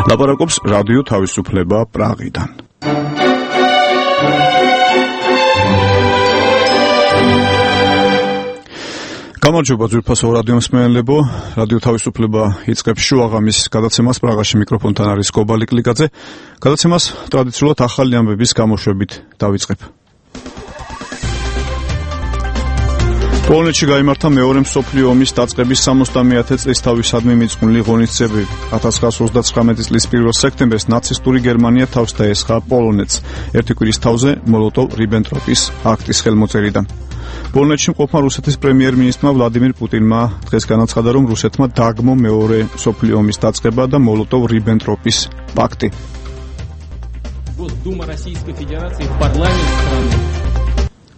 ლაპარაკობს რადიო თავისუფლება პრაღიდან. გამარჯობა ძვირფასო რადიო მსმენელებო, რადიო თავისუფლება იწყებს შუაღამის გადაცემას პრაღაში, მიკროფონთან არის კობალი კლიკაძე. გადაცემას ტრადიციულად ახალი ამბების გამოშვებით დავიწყებ. პოლონეთში გაიმართა მეორე მსოფლიო ომის დაწყების 70-ე წლისთავისადმი მიწყვნილი ღონისძიებები. 1939 წლის 1 სექტემბერს ნაცისტური გერმანია თავს დაესხა პოლონეთს, ერთი კვირის თავზე მოლოტოვ-რიბენტროპის აქტის ხელმოწერიდან. პოლონეთში მყოფმა რუსეთის პრემიერ-მინისტრმა ვლადიმირ პუტინმა დღეს განაცხადა, რომ რუსეთმა დაგმო მეორე მსოფლიო ომის დაწყება და მოლოტოვ-რიბენტროპის პაქტი. Госдума Российской Федерации в парламент страны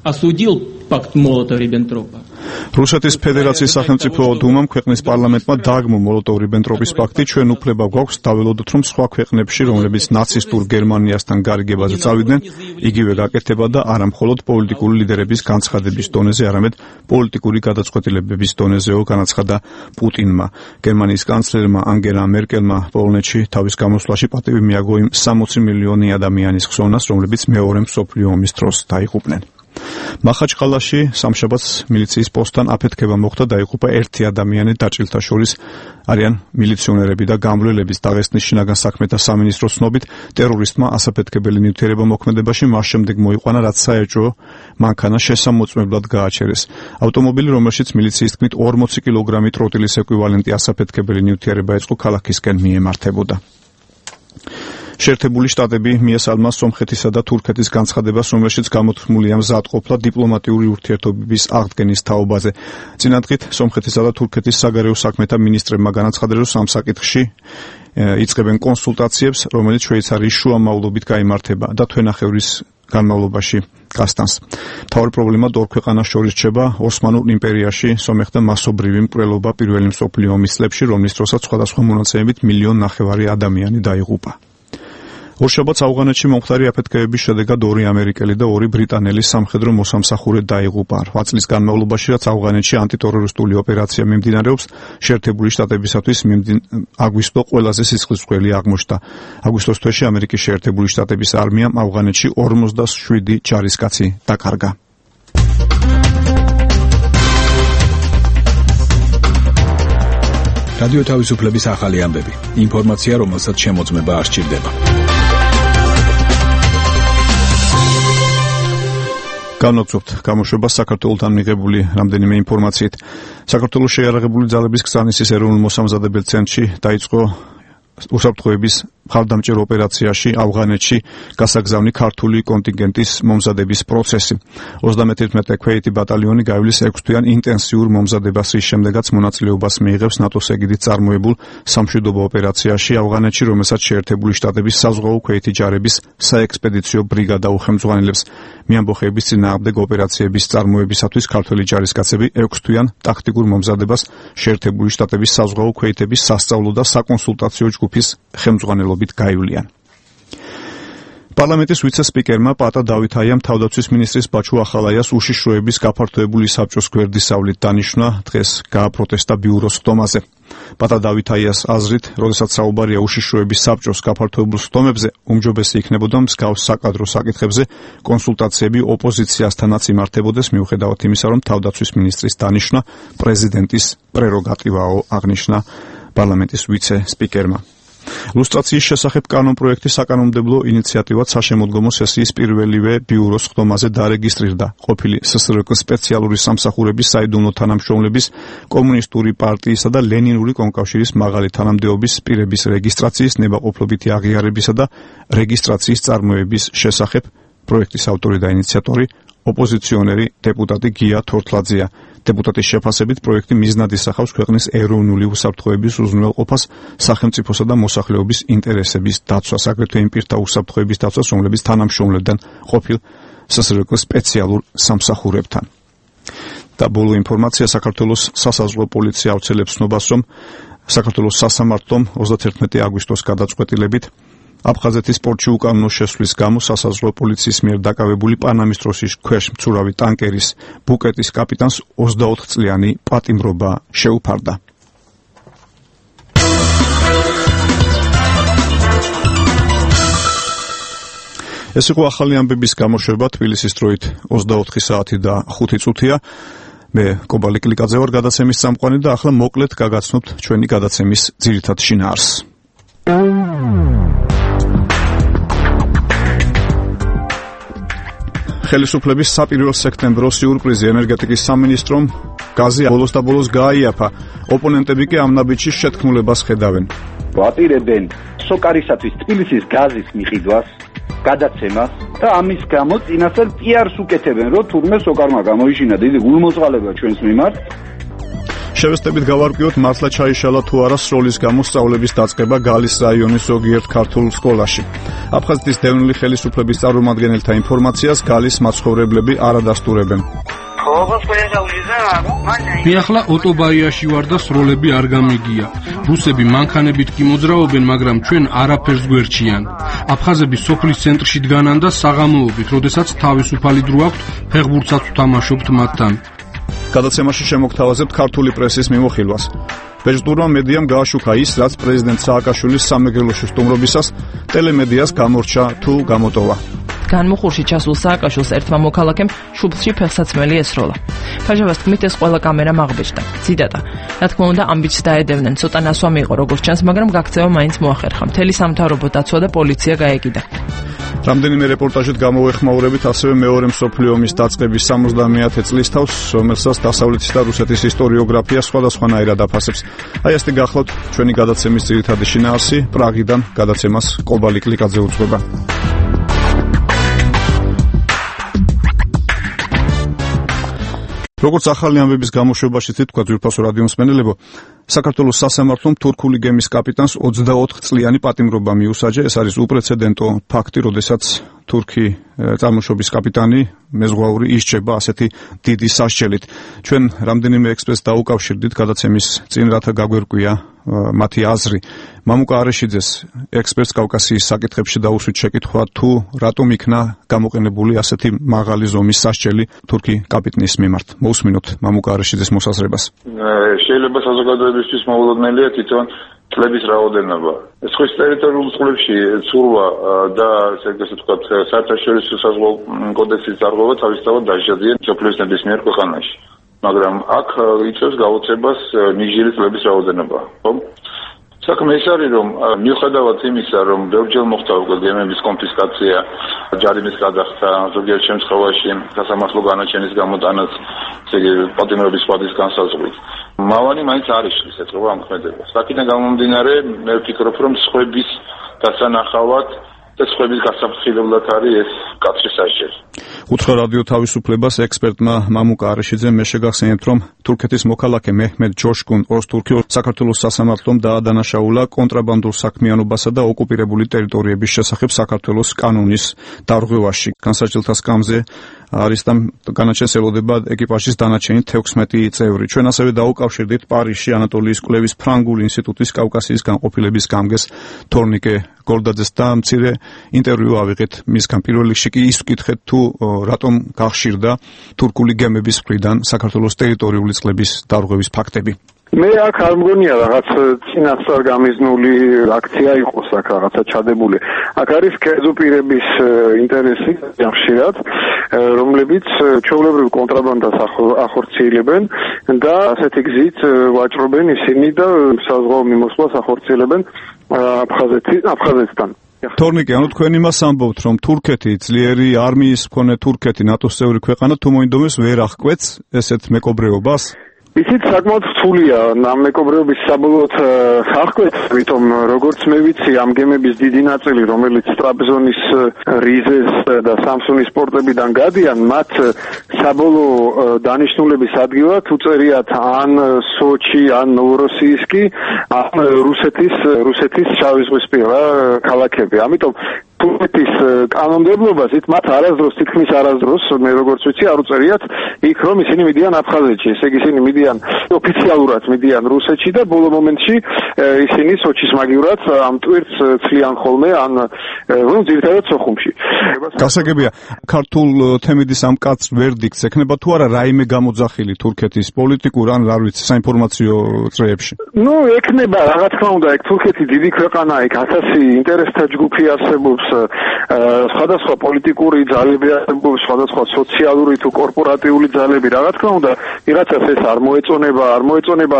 осудил пакт Молотова-Риббентропа. რუსეთის ფედერაციის სახელმწიფო დუმამ ქვეყნის პარლამენტმა დაგმო მოლოტოვ-რიბენტროპის პაქტი. ჩვენ უფლება გვაქვს დაველოდოთ, რომ სხვა ქვეყნებში, რომლებიც ნაცისტურ გერმანიასთან გარიგებაზე წავიდნენ, იგივე გაკეთება და არა მხოლოდ პოლიტიკური ლიდერების განცხადების დონეზე, არამედ პოლიტიკური გადაწყვეტილებების დონეზეო, განაცხადა პუტინმა. გერმანიის კანცლერმა ანგელა მერკელმა პოლონეთში თავის გამოსვლაში პატივი მიაგო იმ 60 მილიონი ადამიანის ხსოვნას, რომლებიც მეორე მსოფლიო ომის დროს დაიღუპნენ. მახაჩყალაში სამშაბათს მილიციის პოსტთან აფეთქება მოხდა, დაიღუპა ერთი ადამიანი, დაჭრილთა შორის არიან მილიციონერები და გამვლელების. დაღესტნის შინაგან საქმეთა სამინისტროს ცნობით, ტერორისტმა ასაფეთქებელი ნივთიერება მოქმედებაში მას შემდეგ მოიყვანა, რაც საეჭვო მანქანა შესამოწმებლად გააჩერეს. ავტომობილი, რომელშიც მილიციის თქმით 40 კილოგრამი ტროტილის ეკვივალენტი ასაფეთქებელი ნივთიერება ეწყო, ქალაქისკენ მიემართებოდა. შეერთებული შტატები მიესალმა სომხეთისა და თურქეთის განცხადებას, რომელშიც გამოთქმულია მზადყოფნა დიპლომატიური ურთიერთობების აღდგენის თაობაზე. წინადღით სომხეთისა და თურქეთის საგარეო საქმეთა მინისტრებმა განაცხადნენ, რომ ამ საკითხში იწყებენ კონსულტაციებს, რომელიც შვეიცარიის შუამავლობით გაიმართება და თვენახევრის განმავლობაში გასტანს. მთავარი პრობლემა ორ ქვეყანას შორის რჩება ოსმანურ იმპერიაში სომეხთა მასობრივი მკვლელობა პირველი მსოფლიო ომის წლებში, რომლის დროსაც სხვადასხვა მონაცემებით 1,5 მილიონი ადამიანი დაიღუპა. ორშაბათს ავღანეთში მომხდარი აფეთქებების შედეგად 2 ამერიკელი და 2 ბრიტანელი სამხედრო მოსამსახურე დაიღუპა. 8 წლის განმავლობაში, რაც ავღანეთში ანტიტერორისტული ოპერაცია მიმდინარეობს, შეერთებული შტატებისათვის აგვისტო ყველაზე სისხლისმღვრელი აღმოჩნდა. აგვისტოს თვეში ამერიკის შეერთებული შტატების არმიამ ავღანეთში 47 ჯარისკაცი დაკარგა. რადიო თავისუფლების ახალი ამბები. ინფორმაცია, რომელსაც შემოწმება არ სჭირდება. განვაგრძობთ გამოშვებას საქართველოსთან მიღებული რამდენიმე ინფორმაციით. საქართველოს შეიარაღებული ძალების გზავნისის ეროვნულ მოსამზადებელ ცენტრში დაიწყო უსაფრთხოების მხარდამჭერ ოპერაციაში ავღანეთში გასაგზავნი ქართული კონტინგენტის მომზადების პროცესი. 31 ქვეითი ბატალიონი გაივლის 6 თვიან ინტენსიურ მომზადებას, რის შემდეგაც მონაწილეობას მიიღებს ნატოს ეგიდით წარმოებულ სამშვიდობო ოპერაციაში ავღანეთში, რომელსაც შეერთებული შტატების საზღვაო ქვეითი ჯარების საექსპედიციო ბრიგადა უხელმძღვანელებს. მიამბოხეების წინააღმდეგ ოპერაციების წარმოებისათვის ქართველი ჯარისკაცები 6 თვიან ტაქტიკურ მომზადებას შეერთებული შტატების საზღვაო ქვეითების სასწავლო და საკონსულტაციო ჯგუფის ხელმძღვანელობით გაივლიან. პარლამენტის ვიცე-სპიკერმა პატა დავითაიამ თავდაცვის მინისტრის ბაჩუ ახალაიას უშიშროების გაფართოებული საბჭოს გვერდისავლით დანიშნა, დღეს გააპროტესტა ბიუროს ხდომაზე. პატა დავითაიას აზრით, როდესაც საუბარია უშიშროების საბჭოს გაფართოებულ ხდომებზე, უმჯობესი იქნებოდა მსგავს საკადრო საკითხებზე კონსულტაციები ოპოზიციასთანაც იმართებოდეს, მიუხედავად იმისა, რომ თავდაცვის მინისტრის დანიშნა პრეზიდენტის პრეროგატივაო, აღნიშნა პარლამენტის ვიცე-სპიკერმა. ლუსტრაციის შესახებ კანონპროექტი საკანონმდებლო ინიციატივად საშემოდგომო სესიის პირველივე ბიუროს ხდომაზე დარეგისტრირდა. ყოფილი ССРК სპეციალური სამსახურების საიდუმლო თანამშრომლების, კომუნისტური პარტიისა და ლენინური კომკავშირის მაღალი თანამდებობის პირების რეგისტრაციის, ნებაყოფლობითი აღიარებისა და რეგისტრაციის წარმოების შესახებ პროექტის ავტორი და ინიციატორი ოპოზიციონერი დეპუტატი გია თორთლაძეა. დეპუტატის შეფასებით პროექტი მიზნად ისახავს ქვეყნის ეროვნული უსაფრთხოების უზრუნველყოფას, სახელმწიფოსა და მოსახლეობის ინტერესების დაცვას, აგრეთვე იმ პირთა უსაფრთხოების დაცვას, რომლებიც თანამშრომლებდნენ ყოფილ ССРК სპეციალურ სამსახურებთან. და ბოლო ინფორმაცია, საქართველოს სასაზღვრო პოლიცია აუცილებს ცნობას, რომ საქართველოს სასამართლომ 31 აგვისტოს გადაწყვეტილებით აფხაზეთის პორტში უკანონო შესვლის გამო სასაზღვრო პოლიციის მიერ დაკავებული პანამის ტროსის ქვეშ მცურავი ტანკერის ბუკეტის კაპიტანს 24 წლიანი პატიმრობა შეუფარდა. ეს იყო ახალი ამბების გამოშვება თბილისის დროით 24 საათი და 5 წუთია. მე კობალი კლიკაძე ვარ გადაცემის წამყვანი და ახლა მოკლედ გაგაცნობთ ჩვენი გადაცემის ძირითად შინაარსს. ხელისუფლების საპირისპირო სექტემბრის სიურპრიზი ენერგეტიკის სამინისტრომ გაზი ბოლოს და ბოლოს გააიაფა. ოპონენტები კი ამ ნაბიჯის შეთქმულებას ხედავენ. ვაპირებენ სოკარისათვის თბილისის გაზის მიყიდვას, გადაცემას და ამის გამო წინასწარ პიარს უკეთებენ, რომ თურმე სოკარმა გამოიშინა დიდი გულმოწყალება ჩვენს მიმართ. შევესწრებით გავარკვიოთ, მართლა ჩაიშალა თუ არა სროლის გამო სწავლების დაწყება გალის რაიონის ზოგიერთ ქართულ სკოლაში. აფხაზეთის დევნილი ხელისუფლების წარმომადგენელთა ინფორმაციას გალის მაცხოვრებლები არ ადასტურებენ. მე ახლა ოტობაიაში ვარ და სროლები არ გამიგია. რუსები მანქანებით კი მოძრაობენ, მაგრამ ჩვენ არაფერს გვერჩიან. აფხაზები სოფლის ცენტრში დგანან და საღამოობით, როდესაც თავისუფალი დრო აქვთ, ფეხბურთსაც ვთამაშობთ მათთან. გადაცემაში შემოგთავაზებთ ქართული პრესის მიმოხილვას. ბეჭდურმა მედიამ გააშუქა ის, რაც პრეზიდენტ სააკაშვილის სამეგრელოში სტუმრობისას ტელემედიას გამორჩა თუ გამოტოვა. განმუხურში ჩასულ სააკაშვილს ერთმა მოქალაქემ შუბლში ფეხსაცმელი ესროლა. ფაჟავას თქმით, ეს ყველა კამერამ აღბეჭდა. ციტატა: რა თქმა უნდა, ამბიჯს დაედევნენ, ცოტა ნასვამი იყო როგორც ჩანს, მაგრამ გაქცევა მაინც მოახერხა. მთელი სამთავრობო დაცვა და პოლიცია გაეკიდა. რამდენიმე რეპორტაჟით გამოეხმაურებით ასევე მეორე მსოფლიო ომის დაწყების 70-ე წლის თავს, რომელსაც დასავლეთის და რუსეთის ისტორიოგრაფია სხვადასხვანაირად აფასებს. აი ასეთი გახლავთ ჩვენი გადაცემის ძირითადი შინაარსი. პრაღიდან გადაცემას კობალი კლიკაძე უძღვება. როგორც ახალი ამბების გამოშვებაში თქვა ძვირფასო რადიო მსმენელებო, საქართველოს სასამართლომ თურქული გემის კაპიტანს 24 წლიანი პატიმრობა მიუსაჯა. ეს არის უპრეცედენტო ფაქტი, როდესაც თურქი წარმოშობის კაპიტანი მეზღვაური ისჯება ასეთი დიდი სასჯელით. ჩვენ რამდენიმე ექსპერტს დაუკავშირდით გადაცემის წინ, რათა გაგვერკვია მათი აზრი. მამუკა არეშიძეს ექსპერტს კავკასიის საკითხებში დაუსვით შეკითხვა, თუ რატომ იქნა გამოყენებული ასეთი მაღალი ზომის სასჯელი თურქი კაპიტნის მიმართ. მოусმინოთ მამუკა არეშიძეს მოსაზრებას. შეიძლება საზოგადოებისთვის მოულოდნელია თვითონ წლების რაოდენობა. სხვის ტერიტორიულ წყლებში ცურვა და ესე ვთქვათ, საერთაშორისო საზღვაო კოდექსის დარღვევა თავისთავად დაჟადიან მსოფლიოს ნებისმიერ ქვეყანაში. მაგრამ აქ იწევს გაუწებას ნიჟირი წლების რაოდენობა. ხო? საქმე ის არის, რომ მიუხედავად იმისა, რომ ბევრჯერ მოხდა უკვე გემების კონფისკაცია, ჯარიმის გადახდა, ზოგიერთ შემთხვევაში სასამართლო განაჩენის გამოტანაც, ესე იგი პატიმრობის სხვადის განსაზღვრით. მავანი მაინც არ იშლის ეთყობა ამ ქმედებას. აქედან გამომდინარე, მე ვფიქრობ, რომ სხვების დასანახავად და სხვების გასაფრთხილებლად არის ეს კაცრი სასჯელი. უთხრა რადიო თავისუფლებას ექსპერტმა მამუკა არეშიძემ მე შეგახსენებთ, რომ თურქეთის მოქალაქე მეჰმედ ჯოშკუნ ოზთურქი საქართველოს სასამართლომ დაადანაშაულა კონტრაბანდულ საქმიანობასა და ოკუპირებული ტერიტორიების შესახებ საქართველოს კანონის დარღვევაში. განსაჯელთა სკამზე არის და განაჩენს ელოდება ეკიპაჟის დანარჩენი 16 წევრი. ჩვენ ასევე დაუკავშირდით პარიზში ანატოლიის კვლევის ფრანგულ ინსტიტუტის კავკასიის განყოფილების გამგეს თორნიკე გოლდაძეს და მცირე ინტერვიუ ავიღეთ მისგან. პირველ რიგში კი ის ვკითხეთ, თუ რატომ გახშირდა თურქული გემების მხრიდან საქართველოს ტერიტორიული წყლების დარღვევის ფაქტები. მე აქ არ მგონია რაღაც წინასწარ გამიზნული აქცია იყოს აქ რაღაცა ჩადებული. აქ არის კერძო პირების ინტერესი ხშირად, რომლებიც ჩვეულებრივ კონტრაბანდას ახორციელებენ და ასეთი გზით ვაჭრობენ ისინი და საზღვაო მიმოსვლას ახორციელებენ აფხაზეთთან. თორნიკე, ანუ თქვენ იმას ამბობთ, რომ თურქეთი ძლიერი არმიის მქონე თურქეთი ნატოს წევრი ქვეყანა თუ მოინდომეს ვერ აღკვეთს ესეთ მეკობრეობას? ისიც საკმაოდ რთულია ამ მეკობრეობის საბოლოოდ აღკვეთს, თვითონ როგორც მე ვიცი, ამ გემების დიდი ნაწილი, რომელიც ტრაბზონის რიზეს და სამსუნის პორტებიდან გადიან, მათ საბოლოო დანიშნულების ადგილად უწერიათ ან სოჩი, ან ნოვოროსიისკი, ან რუსეთის შავიზღვისპირა ქალაქები. ამიტომ თურქეთის კანონმდებლობას მათ არასდროს, თითქმის არასდროს, მე როგორც ვიცი, არ უწერიათ იქ, რომ ისინი მიდიან აფხაზეთში. ესე იგი, ისინი მიდიან ოფიციალურად მიდიან რუსეთში და ბოლო მომენტში ისინი სოჩის მაგივრად ამ ტვირთს ცლიან ხოლმე, ან ძირითადად სოხუმში. გასაგებია, ქართულ თემიდის ამ კაც ვერდიქტს ექნება თუ არა რაიმე გამოძახილი თურქეთის პოლიტიკურ ან რა ვიცი საინფორმაციო წრეებში? ექნება, რა თქმა უნდა, თურქეთი დიდი ქვეყანაა, იქ 1000 ინტერესთა ჯგუფი არსებობს, სხვადასხვა პოლიტიკური ძალები, სხვადასხვა სოციალური თუ კორპორატიული ძალები, რა თქმა უნდა, ვიღაცას ეს არ მოეწონება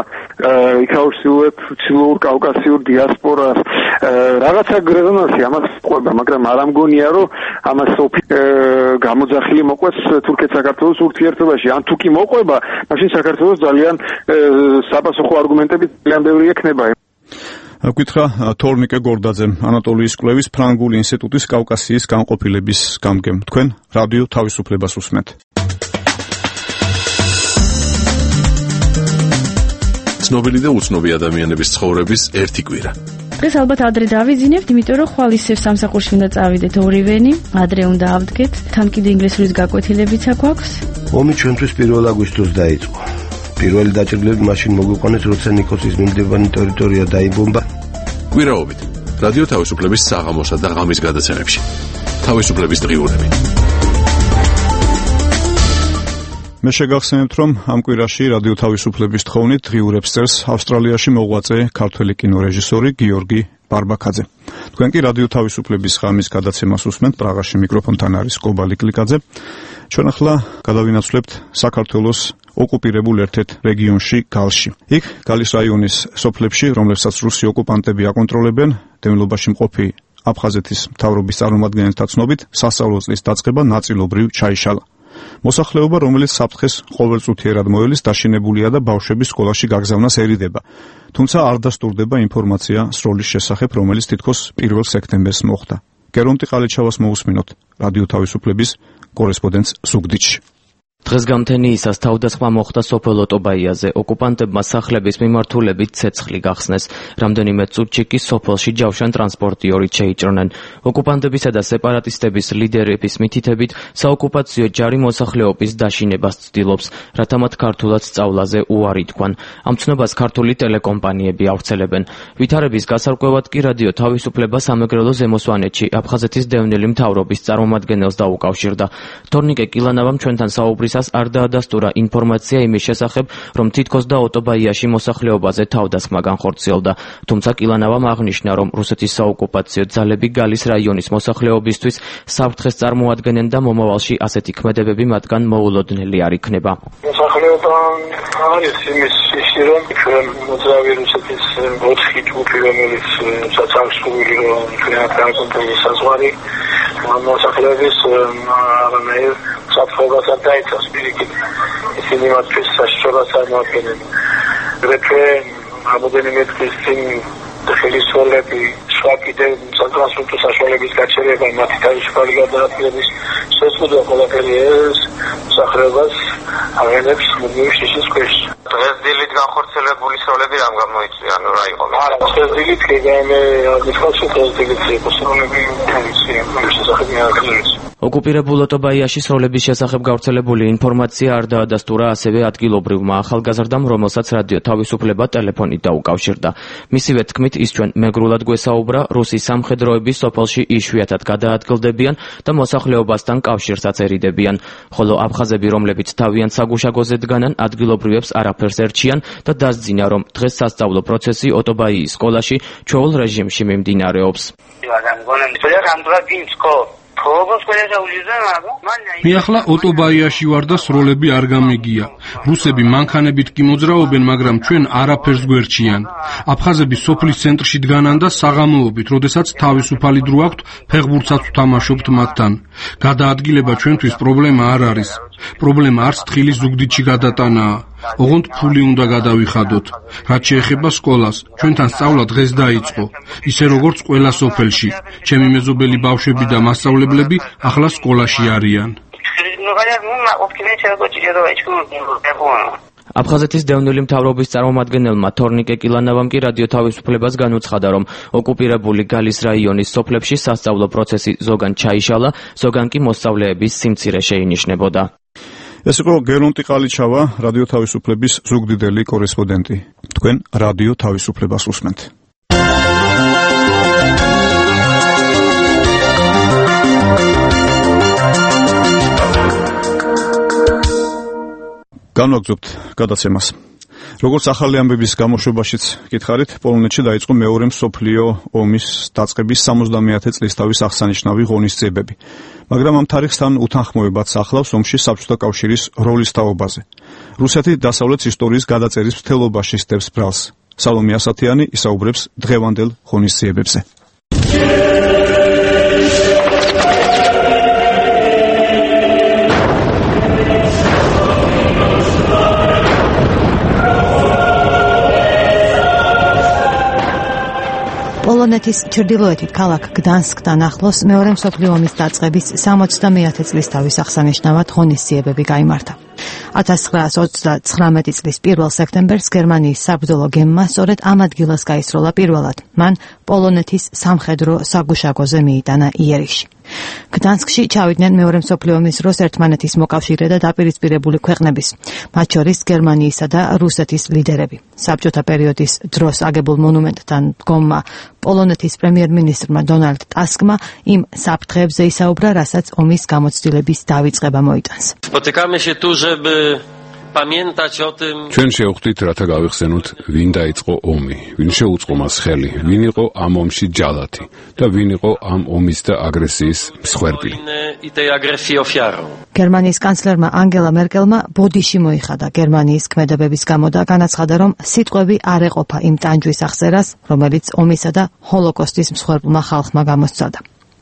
ჩრდილოურ კავკასიურ დიასპორას, რაღაცა რეზონანსი ამას ყვება, მაგრამ არ ამგონია, რომ ამას გამოძახილი მოყვეს თურქეთ-საქართველოს ურთიერთობაში. ან თუ კი მოყვება, მაშინ საქართველოს ძალიან საპასუხო არგუმენტები ძალიან ბევრი ექნება. გითხრა თორნიკე გორდაძემ, ანატოლიის კვლევის ფრანგული ინსტიტუტის კავკასიის განყოფილების გამგემ. თქვენ რადიო თავისუფლებას უსმენთ. ცნობილი და უცნობი ადამიანების ცხოვრების ერთი კვირა. დღეს ალბათ ადრე დავიძინებთ, იმიტომ რომ ხვალ ისევ სამსახურში უნდა წავიდეთ ორივენი, ადრე უნდა ავდგეთ, თან კიდე ინგლისურის გაკვეთილებიც აქვს. ომი ჩვენთვის 1 აგვისტოს დაიწყო. პირველი დაჭრილები მაშინ მოგვიყვანეს, როცა ნიკოსის მიმდებარე ტერიტორია დაიბომბა. კვირაობით რადიო თავისუფლების საღამოსა და ღამის გადაცემებში. თავისუფლების დღიურები. მე შეგახსენებთ, რომ ამ კვირაში რადიო თავისუფლების თხოვნით დღიურებს წერს ავსტრალიაში მოღვაწე ქართველი კინორეჟისორი გიორგი ბარბაქაძე. თქვენ კი რადიო თავისუფლების ღამის გადაცემას უსმენთ, პრაღაში მიკროფონთან არის კობალი კლიკაძე. ჩვენ ახლა გადავინაცვლებთ საქართველოს ოკუპირებულ ერთ-ერთ რეგიონში გალში. იქ გალის რაიონის სოფლებში, რომლებსაც რუსი ოკუპანტები აკონტროლებენ, დევნილობაში მყოფი აფხაზეთის მთავრობის წარმომადგენელთა ცნობით, სასწავლო წლის დაწყება ნაწილობრივ ჩაიშალა. მოსახლეობა, რომელიც საფრთხეს ყოველწუთიერად მოელის, დაშინებულია და ბავშვების სკოლაში გაგზავნას ერიდება. თუმცა არ დასტურდება ინფორმაცია სროლის შესახებ, რომელიც თითქოს 1 სექტემბერს მოხდა. გერონტი ყალიჩავას მოусმინოთ რადიო თავისუფლების კორესპონდენტს ზუგდიდში. დღეს გამთენიისას თავდასხმა მოხდა სოფელ ოტობაიაზე. ოკუპანტებმა სახლების მიმართულებით ცეცხლი გახსნეს. რამდენიმე წუთში კი სოფელში ჯავშან ტრანსპორტი 2 შეიჭრნენ. ოკუპანტებისა და სეპარატისტების ლიდერების მითითებით, საოკუპაციო ჯარი მოსახლეობის დაშინებას ცდილობს, რათა მათ ქართულად სწავლაზე უარი თქვან. ამ ცნობას ქართული ტელეკომპანიები ავრცელებენ. ვითარების გასარკვევად კი რადიო თავისუფლება სამეგრელო ზემოსვანეთში აფხაზეთის დევნილი მთავრობის წარმომადგენელს დაუკავშირდა. თორნიკე კილანავამ ჩვენთან საუბრის არ დაადასტურა ინფორმაცია იმის შესახებ, რომ თითქოს და ოტობაიაში მოსახლეობაზე თავდასხმა განხორციელდა. თუმცა კილანავამ აღნიშნა, რომ რუსეთის საოკუპაციო ძალები გალის რაიონის მოსახლეობისთვის საფრთხეს წარმოადგენენ და მომავალში ასეთი ქმედებები მათგან მოულოდნელი არ იქნება. მოსახლეობა არის იმის ისე, რომ ჩვენ მოძრავი რუსეთის 4 ჯგუფი, რომელიც საცალშქრული ტრანსპორტის საზღვარი მოსახლეობის არანაირ საფრთხებას არ დაიცავს პირიქით. ისინი მათთვის საშიშრობას წარმოადგენენ. აგრეთვე რამოდენიმე დღის წინ ხელისუფლები სხვა კიდევ სატრანსპორტო საშუალებების გაჩერება, მათი თავისუფალი გადაადგილების შესწავლა ყველაფერი ეს მსახურებას აღენებს მუდმივი შიშის ქვეშ. დღეს დილით განხორციელებული სროლები რამ გამოიწვია, ანუ რა იყო? არა, დღეს დილით კი მithქვაში დღეს დილით იყო სროლები ოკუპირებულ ოტობაიაში სროლების შესახებ გავრცელებული ინფორმაცია არ დაადასტურა ასევე ადგილობრივმა ახალგაზრდამ, რომელსაც რადიო თავისუფლება ტელეფონით დაუკავშირდა. მისივე თქმით, ის ჩვენ მეგრულად გვესაუბრა, რუსი სამხედროები სოფელში იშვიათად გადაადგილდებიან და მოსახლეობასთან კავშირსაც ერიდებიან, ხოლო აფხაზები, რომლებიც თავიანთ საგუშაგოზე დგანან, ადგილობრივებს არაფერს ერჩიან და დასძინა, რომ დღეს სასწავლო პროცესი ოტობაიის სკოლაში ჩვეულ რეჟიმში მიმდინარეობს. მე ახლა ოტობაიაში ვარ და სროლები არ გამიგია. რუსები მანქანებით კი მოძრაობენ, მაგრამ ჩვენ არაფერს გვერჩიან. აფხაზები სოფლის ცენტრში დგანან და საღამოობით, როდესაც თავისუფალი დრო აქვთ, ფეხბურთსაც ვთამაშობთ მათთან. გადაადგილება ჩვენთვის პრობლემა არ არის. პრობლემა არც თხილის ზუგდიდში გადატანაა. ოღონდ ფული უნდა გადავიხადოთ. რაც შეეხება სკოლას, ჩვენთან სწავლა დღეს დაიწყო. ისე როგორც ყველა სოფელში. ჩემი მეზობელი ბავშვები და მასწავლებლები ახლა სკოლაში არიან. აფხაზეთის დევნილი მთავრობის წარმომადგენელმა თორნიკე კილანავამ კი რადიო თავისუფლებას განუცხადა, რომ ოკუპირებული გალის რაიონის სოფლებში სასწავლო პროცესი ზოგან ჩაიშალა, ზოგან კი მოსწავლეების სიმცირე შეინიშნებოდა. ეს იყო გერონტი ყალიჩავა, რადიო თავისუფლების ზუგდიდელი კორესპონდენტი. თქვენ რადიო თავისუფლებას უსმენთ. განვაგრძობთ გადაცემას. როგორც ახალი ამბების გამოშვებაშიც გითხარით, პოლონეთში დაიწყო მეორე მსოფლიო ომის დაწყების 70-ე წლისთავის აღსანიშნავი ღონისძიებები. მაგრამ ამ თარიღთან უთანხმოებაც ახლავს ომში საბჭოთა კავშირის როლის თაობაზე. რუსეთი დასავლეთის ისტორიის გადაწერის მთლობაში სდევს ბრალს. სალომე ასათიანი ისაუბრებს დღევანდელ ღონისძიებებზე. პოლონეთის ჩრდილოეთით ქალაქ გდანსკთან ახლოს მეორე მსოფლიო ომის დაწყების 70-ე წლისთავის აღსანიშნავად ღონისძიებები გაიმართა. 1939 წლის 1 სექტემბერს გერმანიის საბრძოლო გემმა სწორედ ამ ადგილას გაისროლა პირველად. მან პოლონეთის სამხედრო საგუშაგოზე მიიტანა იერიხში. გდანსკში ჩავიდნენ მეორე მსოფლიო ომის დროს ერთმანეთის მოკავშირე და დაპირისპირებული ქვეყნების, მათ შორის გერმანიისა და რუსეთის ლიდერები. საბჭოთა პერიოდის დროს აგებულ მონუმენტთან დგომმა პოლონეთის პრემიერ-მინისტრმა დონალდ ტასკმა იმ საფრთხეებზე ისაუბრა, რასაც ომის გამოცდილების დავიწყება მოიტანს. ჩვენ შევხვდით, რათა გავიხსენოთ, ვინ დაიწყო ომი, ვინ შეუწყო მას ხელი, ვინ იყო ამ ომში ჯალათი და ვინ იყო ამ ომის და აგრესიის მსხვერპლი. გერმანიის კანცლერმა ანგელა მერკელმა ბოდიში მოიხადა გერმანიის ქმედებების გამო და განაცხადა, რომ სიტყვები არ ეყოფა იმ ტანჯვის აღწერას, რომელიც ომისა და ჰოლოკოსტის მსხვერპლმა ხალხმა გამოსცადა.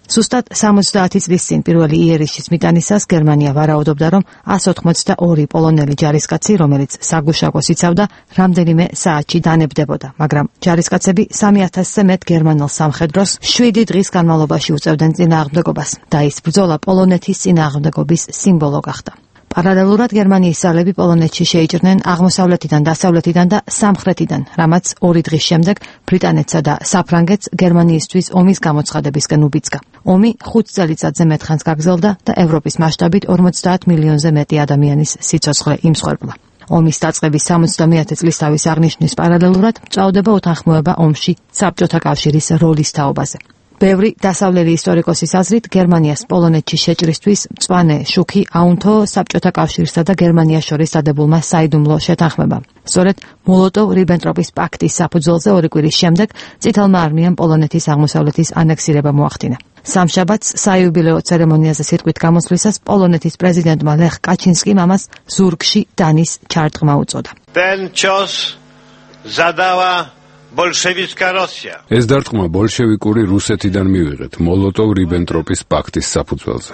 Სუსტად 70 წლის წინ პირველი იერიშის მიტანისას გერმანია ვარაუდობდა, რომ 182 პოლონელი ჯარისკაცი, რომელიც საგუშაგოს იცავდა, რამდენიმე საათში დანებდებოდა, მაგრამ ჯარისკაცები 3000-ზე მეტ გერმანელ სამხედროს 7 დღის განმავლობაში უწევდნენ წინააღმდეგობას და ის ბრძოლა პოლონეთის წინააღმდეგობის სიმბოლო გახდა. Paralelურად გერმანიის ძალები პოლონეთში შეიჭრნენ აღმოსავლეთიდან, დასავლეთიდან და სამხრეთიდან, რამაც 2 დღის შემდეგ ბრიტანეთსა და საფრანგეთს გერმანიისთვის ომის გამოცხადებისკენ უბიძგა. ომი 5 წელიწადზე მეტ ხანს გაგრძელდა და ევროპის მასშტაბით 50 მილიონზე მეტი ადამიანის სიცოცხლე იმსხვერპლა. ომის დაწყების 70-ე წლისთავის აღნიშვნის პარალელურად მწვავდება უთანხმოება ომში საბჭოთა კავშირის როლის თაობაზე. ბევრი დასავლელი ისტორიკოსის აზრით გერმანიას პოლონეთში შეჭრისთვის მწვანე შუქი აუნთო საბჭოთა კავშირსა და გერმანიას შორის დადებულმა საიდუმლო შეთანხმებამ. სწორედ მოლოტოვ-რიბენტროპის პაქტის საფუძველზე 2 კვირის შემდეგ წითელმა არმიამ პოლონეთის აღმოსავლეთის ანექსირება მოახდინა. სამშაბათს საიუბილეო ცერემონიაზე სიტყვით გამოსვლისას პოლონეთის პრეზიდენტმა ლეხ კაჩინსკიმ ამას ზურგში დანის ჩარტყმა უწოდა. ეს დარტყმა ბოლშევიკური რუსეთიდან მივიღეთ მოლოტოვ-რიბენტროპის პაქტის საფუძველზე.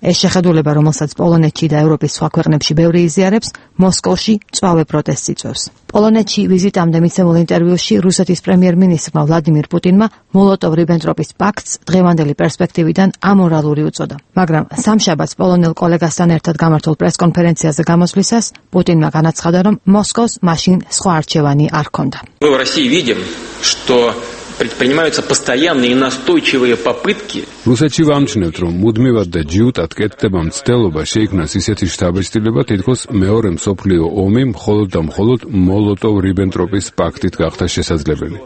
ეს შეხედულება, რომელსაც პოლონეთში და ევროპის სხვა ქვეყნებში ბევრი იზიარებს, მოსკოვში მწვავე პროტესტს იწვევს. პოლონეთში ვიზიტამდე მიცემულ ინტერვიუში რუსეთის პრემიერ-მინისტრმა ვლადიმირ პუტინმა მოლოტოვ-რიბენტროპის პაქტს დღევანდელი პერსპექტივიდან ამორალური უწოდა. მაგრამ სამშაბათს პოლონელ კოლეგასთან ერთად გამართულ პრესკონფერენციაზე გამოსვლისას პუტინმა განაცხადა, რომ მოსკოვს მაშინ სხვა არჩევანი არ ჰქონდა. Предпринимаются постоянные и настойчивые попытки. რუსეთში ვამჩნევთ, რომ მუდმივად და ჯიუტად კეთდება მცდელობა შეიქმნას ისეთი შთაბეჭდილება, თითქოს მეორე მსოფლიო ომი მხოლოდ და მხოლოდ მოლოტოვ-რიბენტროპის პაქტით გახდა შესაძლებელი.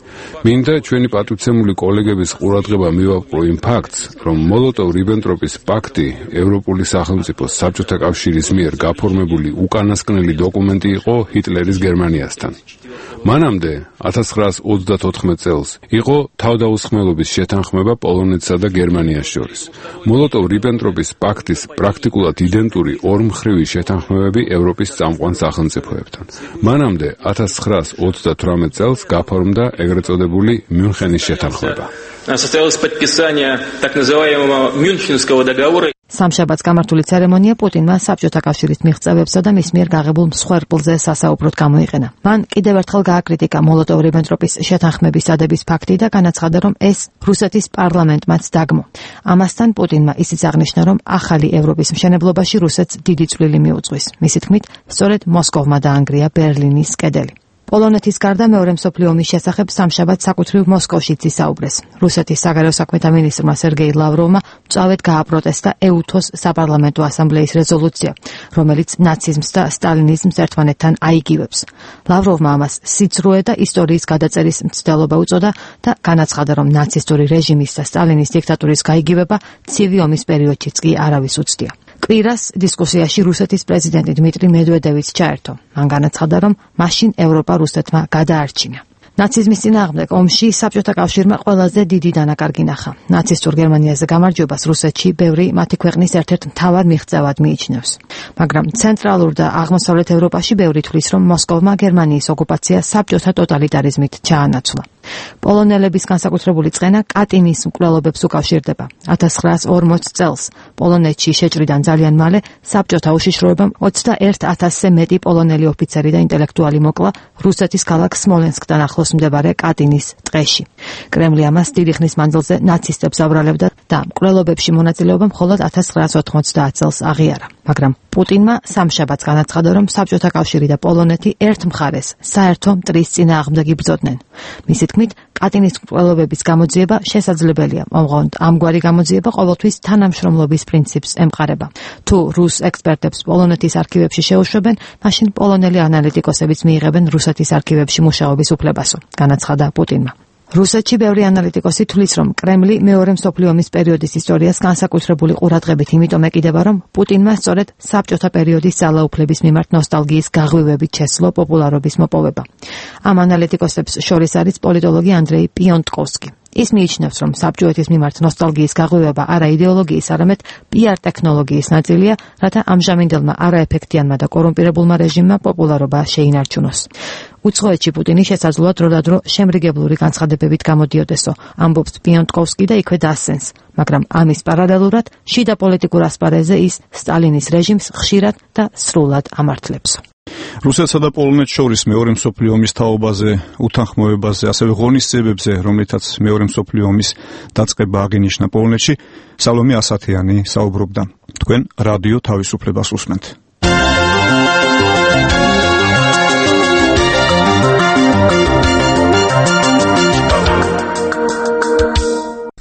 მინდა ჩვენი პატივცემული კოლეგების ყურადღება მივაპყრო იმ ფაქტს, რომ მოლოტოვ-რიბენტროპის პაქტი ევროპული სახელმწიფოს საბჭოთა კავშირის მიერ გაფორმებული უკანასკნელი დოკუმენტი იყო ჰიტლერის გერმანიასთან. მანამდე 1934 წელს იყო თავდაუსხმელობის შეთანხმება პოლონეთსა და გერმანიას შორის. მოლოტოვ-რიბენტროპის პაქტის პრაქტიკულად იდენტური ორმხრივი შეთანხმებები ევროპის წამყვან სახელმწიფოებთან. მანამდე 1938 წელს გაფორმდა ეგრეთ წოდებული მიუნხენის შეთანხმება. Состоялось подписание так называемого Мюнхенского договора. სამშაბათს გამართული ცერემონია პუტინმა საბჭოთა კავშირის მიღწევებსა და მის მიერ გაღებულ მსხვერპლზე სასაუბროდ გამოიყენა. მან კიდევ ერთხელ გააკრიტიკა მოლოტოვ-რიბენტროპის შეთანხმების დადების ფაქტი და განაცხადა, რომ ეს რუსეთის პარლამენტმაც დაგმო. ამასთან პუტინმა ისიც აღნიშნა, რომ ახალი ევროპის მშენებლობაში რუსეთს დიდი წვლილი მიუძღვის. მისი თქმით, სწორედ მოსკოვმა დაანგრია ბერლინის კედელი. პოლონეთის გარდა მეორე მსოფლიო ომის შესახებ სამშაბათს საკუთრივ მოსკოვშიც ისაუბრეს. რუსეთის საგარეო საქმეთა მინისტრმა სერგეი ლავროვმა მწვავედ გააპროტესტა ეუთოს საპარლამენტო ასამბლეის რეზოლუცია, რომელიც ნაციზმს და სტალინიზმს ერთმანეთთან აიგივებს. ლავროვმა ამას სიცრუე და ისტორიის გადაწერის მცდელობა უწოდა და განაცხადა, რომ ნაცისტური რეჟიმის და სტალინის დიქტატურის გაიგივება ცივი ომის პერიოდშიც კი არავის უცდია. კვირას დისკუსიაში რუსეთის პრეზიდენტი დმიტრი მედვედევიც ჩაერთო. მან განაცხადა, რომ მაშინ ევროპა რუსეთმა გადაარჩინა. ნაციზმის წინააღმდეგ ომში საბჭოთა კავშირმა ყველაზე დიდი დანაკარგი ნახა. ნაცისტურ გერმანიაზე გამარჯვებას რუსეთში ბევრი მათი ქვეყნის ერთ-ერთ მთავარ მიღწევად მიიჩნევს. მაგრამ ცენტრალურ და აღმოსავლეთ ევროპაში ბევრი თვლის, რომ მოსკოვმა გერმანიის ოკუპაცია საბჭოთა ტოტალიტარიზმით ჩაანაცვლა. პოლონელების განსაკუთრებული წყენა კატინის მკვლელობებს უკავშირდება. 1940 წელს პოლონეთში შეჭრიდან ძალიან მალე საბჭოთა უშიშროებამ 21,000-ზე მეტი პოლონელი ოფიცერი და ინტელექტუალი მოკლა რუსეთის ქალაქ სმოლენსკთან ახლოს მდებარე კატინის ტყეში. კრემლი ამას დიდი ხნის მანძილზე ნაცისტებს აბრალებდა და მკვლელობებში მონაწილეობა მხოლოდ 1990 წელს აღიარა. მაგრამ პუტინმა სამშაბათს განაცხადა, რომ საბჭოთა კავშირი და პოლონეთი ერთ მხარეს საერთო მტრის წინააღმდეგ იბრძოდნენ. მისი თქმით, კატინის მკვლელობების გამოძიება შესაძლებელია, ოღონდ ამგვარი გამოძიება ყოველთვის თანამშრომლობის პრინციპს ემყარება. თუ რუს ექსპერტებს პოლონეთის არქივებში შეუშვებენ, მაშინ პოლონელი ანალიტიკოსებიც მიიღებენ რუსეთის არქივებში მუშაობის უფლებასო, განაცხადა პუტინმა. რუსეთში ბევრი ანალიტიკოსი თვლის, რომ კრემლი მეორე მსოფლიო ომის პერიოდის ისტორიას განსაკუთრებული ყურადღებით იმიტომ ეკიდება, რომ პუტინმა სწორედ საბჭოთა პერიოდის ძალაუფლების მიმართ ნოსტალგიის გაღვივებით შესძლო პოპულარობის მოპოვება. ამ ანალიტიკოსებს შორის არის პოლიტოლოგი ანდრეი პიონტკოვსკი. ის მიიჩნევს, რომ საბჭოეთის მიმართ ნოსტალგიის გაღვივება არა იდეოლოგიის, არამედ პიარ ტექნოლოგიის ნაწილია, რათა ამჟამინდელმა არაეფექტიანმა და კორუმპირებულმა რეჟიმმა პოპულარობა შეინარჩუნოს. უცხოეთში პუტინი შესაძლოა დროდადრო შემრიგებლური განცხადებებით გამოდიოდესო, ამბობს პიონტკოვსკი და იქვე დასცენს, მაგრამ ამის პარალელურად შიდა პოლიტიკურ ასპარეზზე ის სტალინის რეჟიმს ხშირად და სრულად ამართლებსო. რუსეთსა და პოლონეთს შორის მეორე მსოფლიო ომის თაობაზე, უთანხმოებაზე, ასევე ღონისძიებებზე, რომლითაც მეორე მსოფლიო ომის დაწყება აღინიშნა პოლონეთში, სალომე ასათიანი საუბრობდა. თქვენ რადიო თავისუფლებას უსმენთ.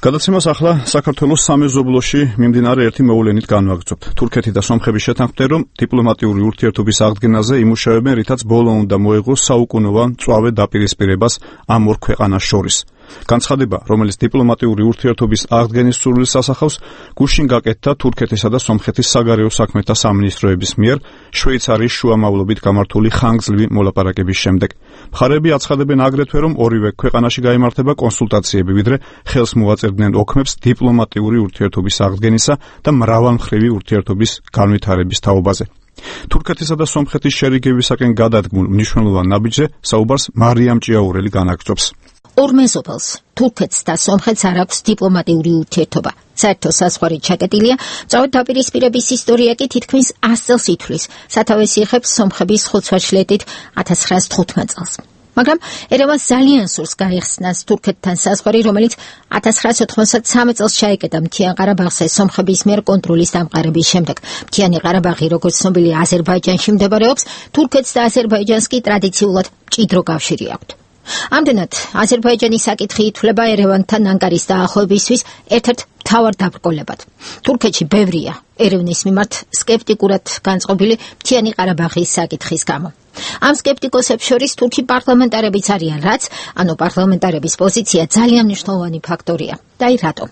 გადაცემას ახლა საქართველოს სამეზობლოში მიმდინარე ერთი მოვლენით განვაგრძობთ. თურქეთი და სომხები შეთანხმდნენ, რომ დიპლომატიური ურთიერთობის აღდგენაზე იმუშავებენ, რითაც ბოლო უნდა მოეღოს საუკუნოვან მწვავე დაპირისპირებას ამ ორ ქვეყანას შორის. განცხადება, რომელიც დიპლომატიური ურთიერთობის აღდგენის სურვილს ასახავს, გუშინ გაკეთდა თურქეთისა და სომხეთის საგარეო საქმეთა სამინისტროების მიერ შვეიცარიის შუამავლობით გამართული ხანგრძლივი მოლაპარაკების შემდეგ. მხარეები აცხადებენ აგრეთვე, რომ ორივე ქვეყანაში გაიმართება კონსულტაციები, ვიდრე ხელს მოაწერდნენ ოქმებს დიპლომატიური ურთიერთობის აღდგენისა და მრავალმხრივი ურთიერთობის განვითარების თაობაზე. თურქეთისა და სომხეთის შერიგებისაკენ გადადგმულ მნიშვნელოვან ნაბიჯზე საუბარს მარიამ ჭიაურელი განაგრძობს. ორ მეზობელს, თურქეთს და სომხეთს არ აქვს დიპლომატიური ურთიერთობა. საერთო საზღვარი ჩაკეტილია, მწვავე დაპირისპირების ისტორია კი თითქმის 100 წელს ითვლის, სათავეს იღებს სომხების ხუთვაჩლეტით 1915 წელს. მაგრამ ერევანს ძალიან სურს გაეხსნას თურქეთთან საზღვარი, რომელიც 1993 წელს ჩაეკეტა მთიან ყარაბაღზე სომხების მიერ კონტროლის დამყარების შემდეგ. მთიანი ყარაბაღი, როგორც ცნობილია, აზერბაიჯანში მდებარეობს, თურქეთს და აზერბაიჯანს კი ტრადიციულად მჭიდრო კავშირი აქვთ. ამდენად, აზერბაიჯანის საკითხი ითვლება ერევანთან ანკარის დაახლოებისთვის ერთ-ერთ მთავარ დაბრკოლებად. თურქეთში ბევრია ერევნის მიმართ სკეპტიკურად განწყობილი მთიანი ყარაბაღის საკითხის გამო. ამ სკეპტიკოსებს შორის თურქი პარლამენტარებიც არიან, რაც, პარლამენტარების პოზიცია ძალიან მნიშვნელოვანი ფაქტორია. და აი რატომ?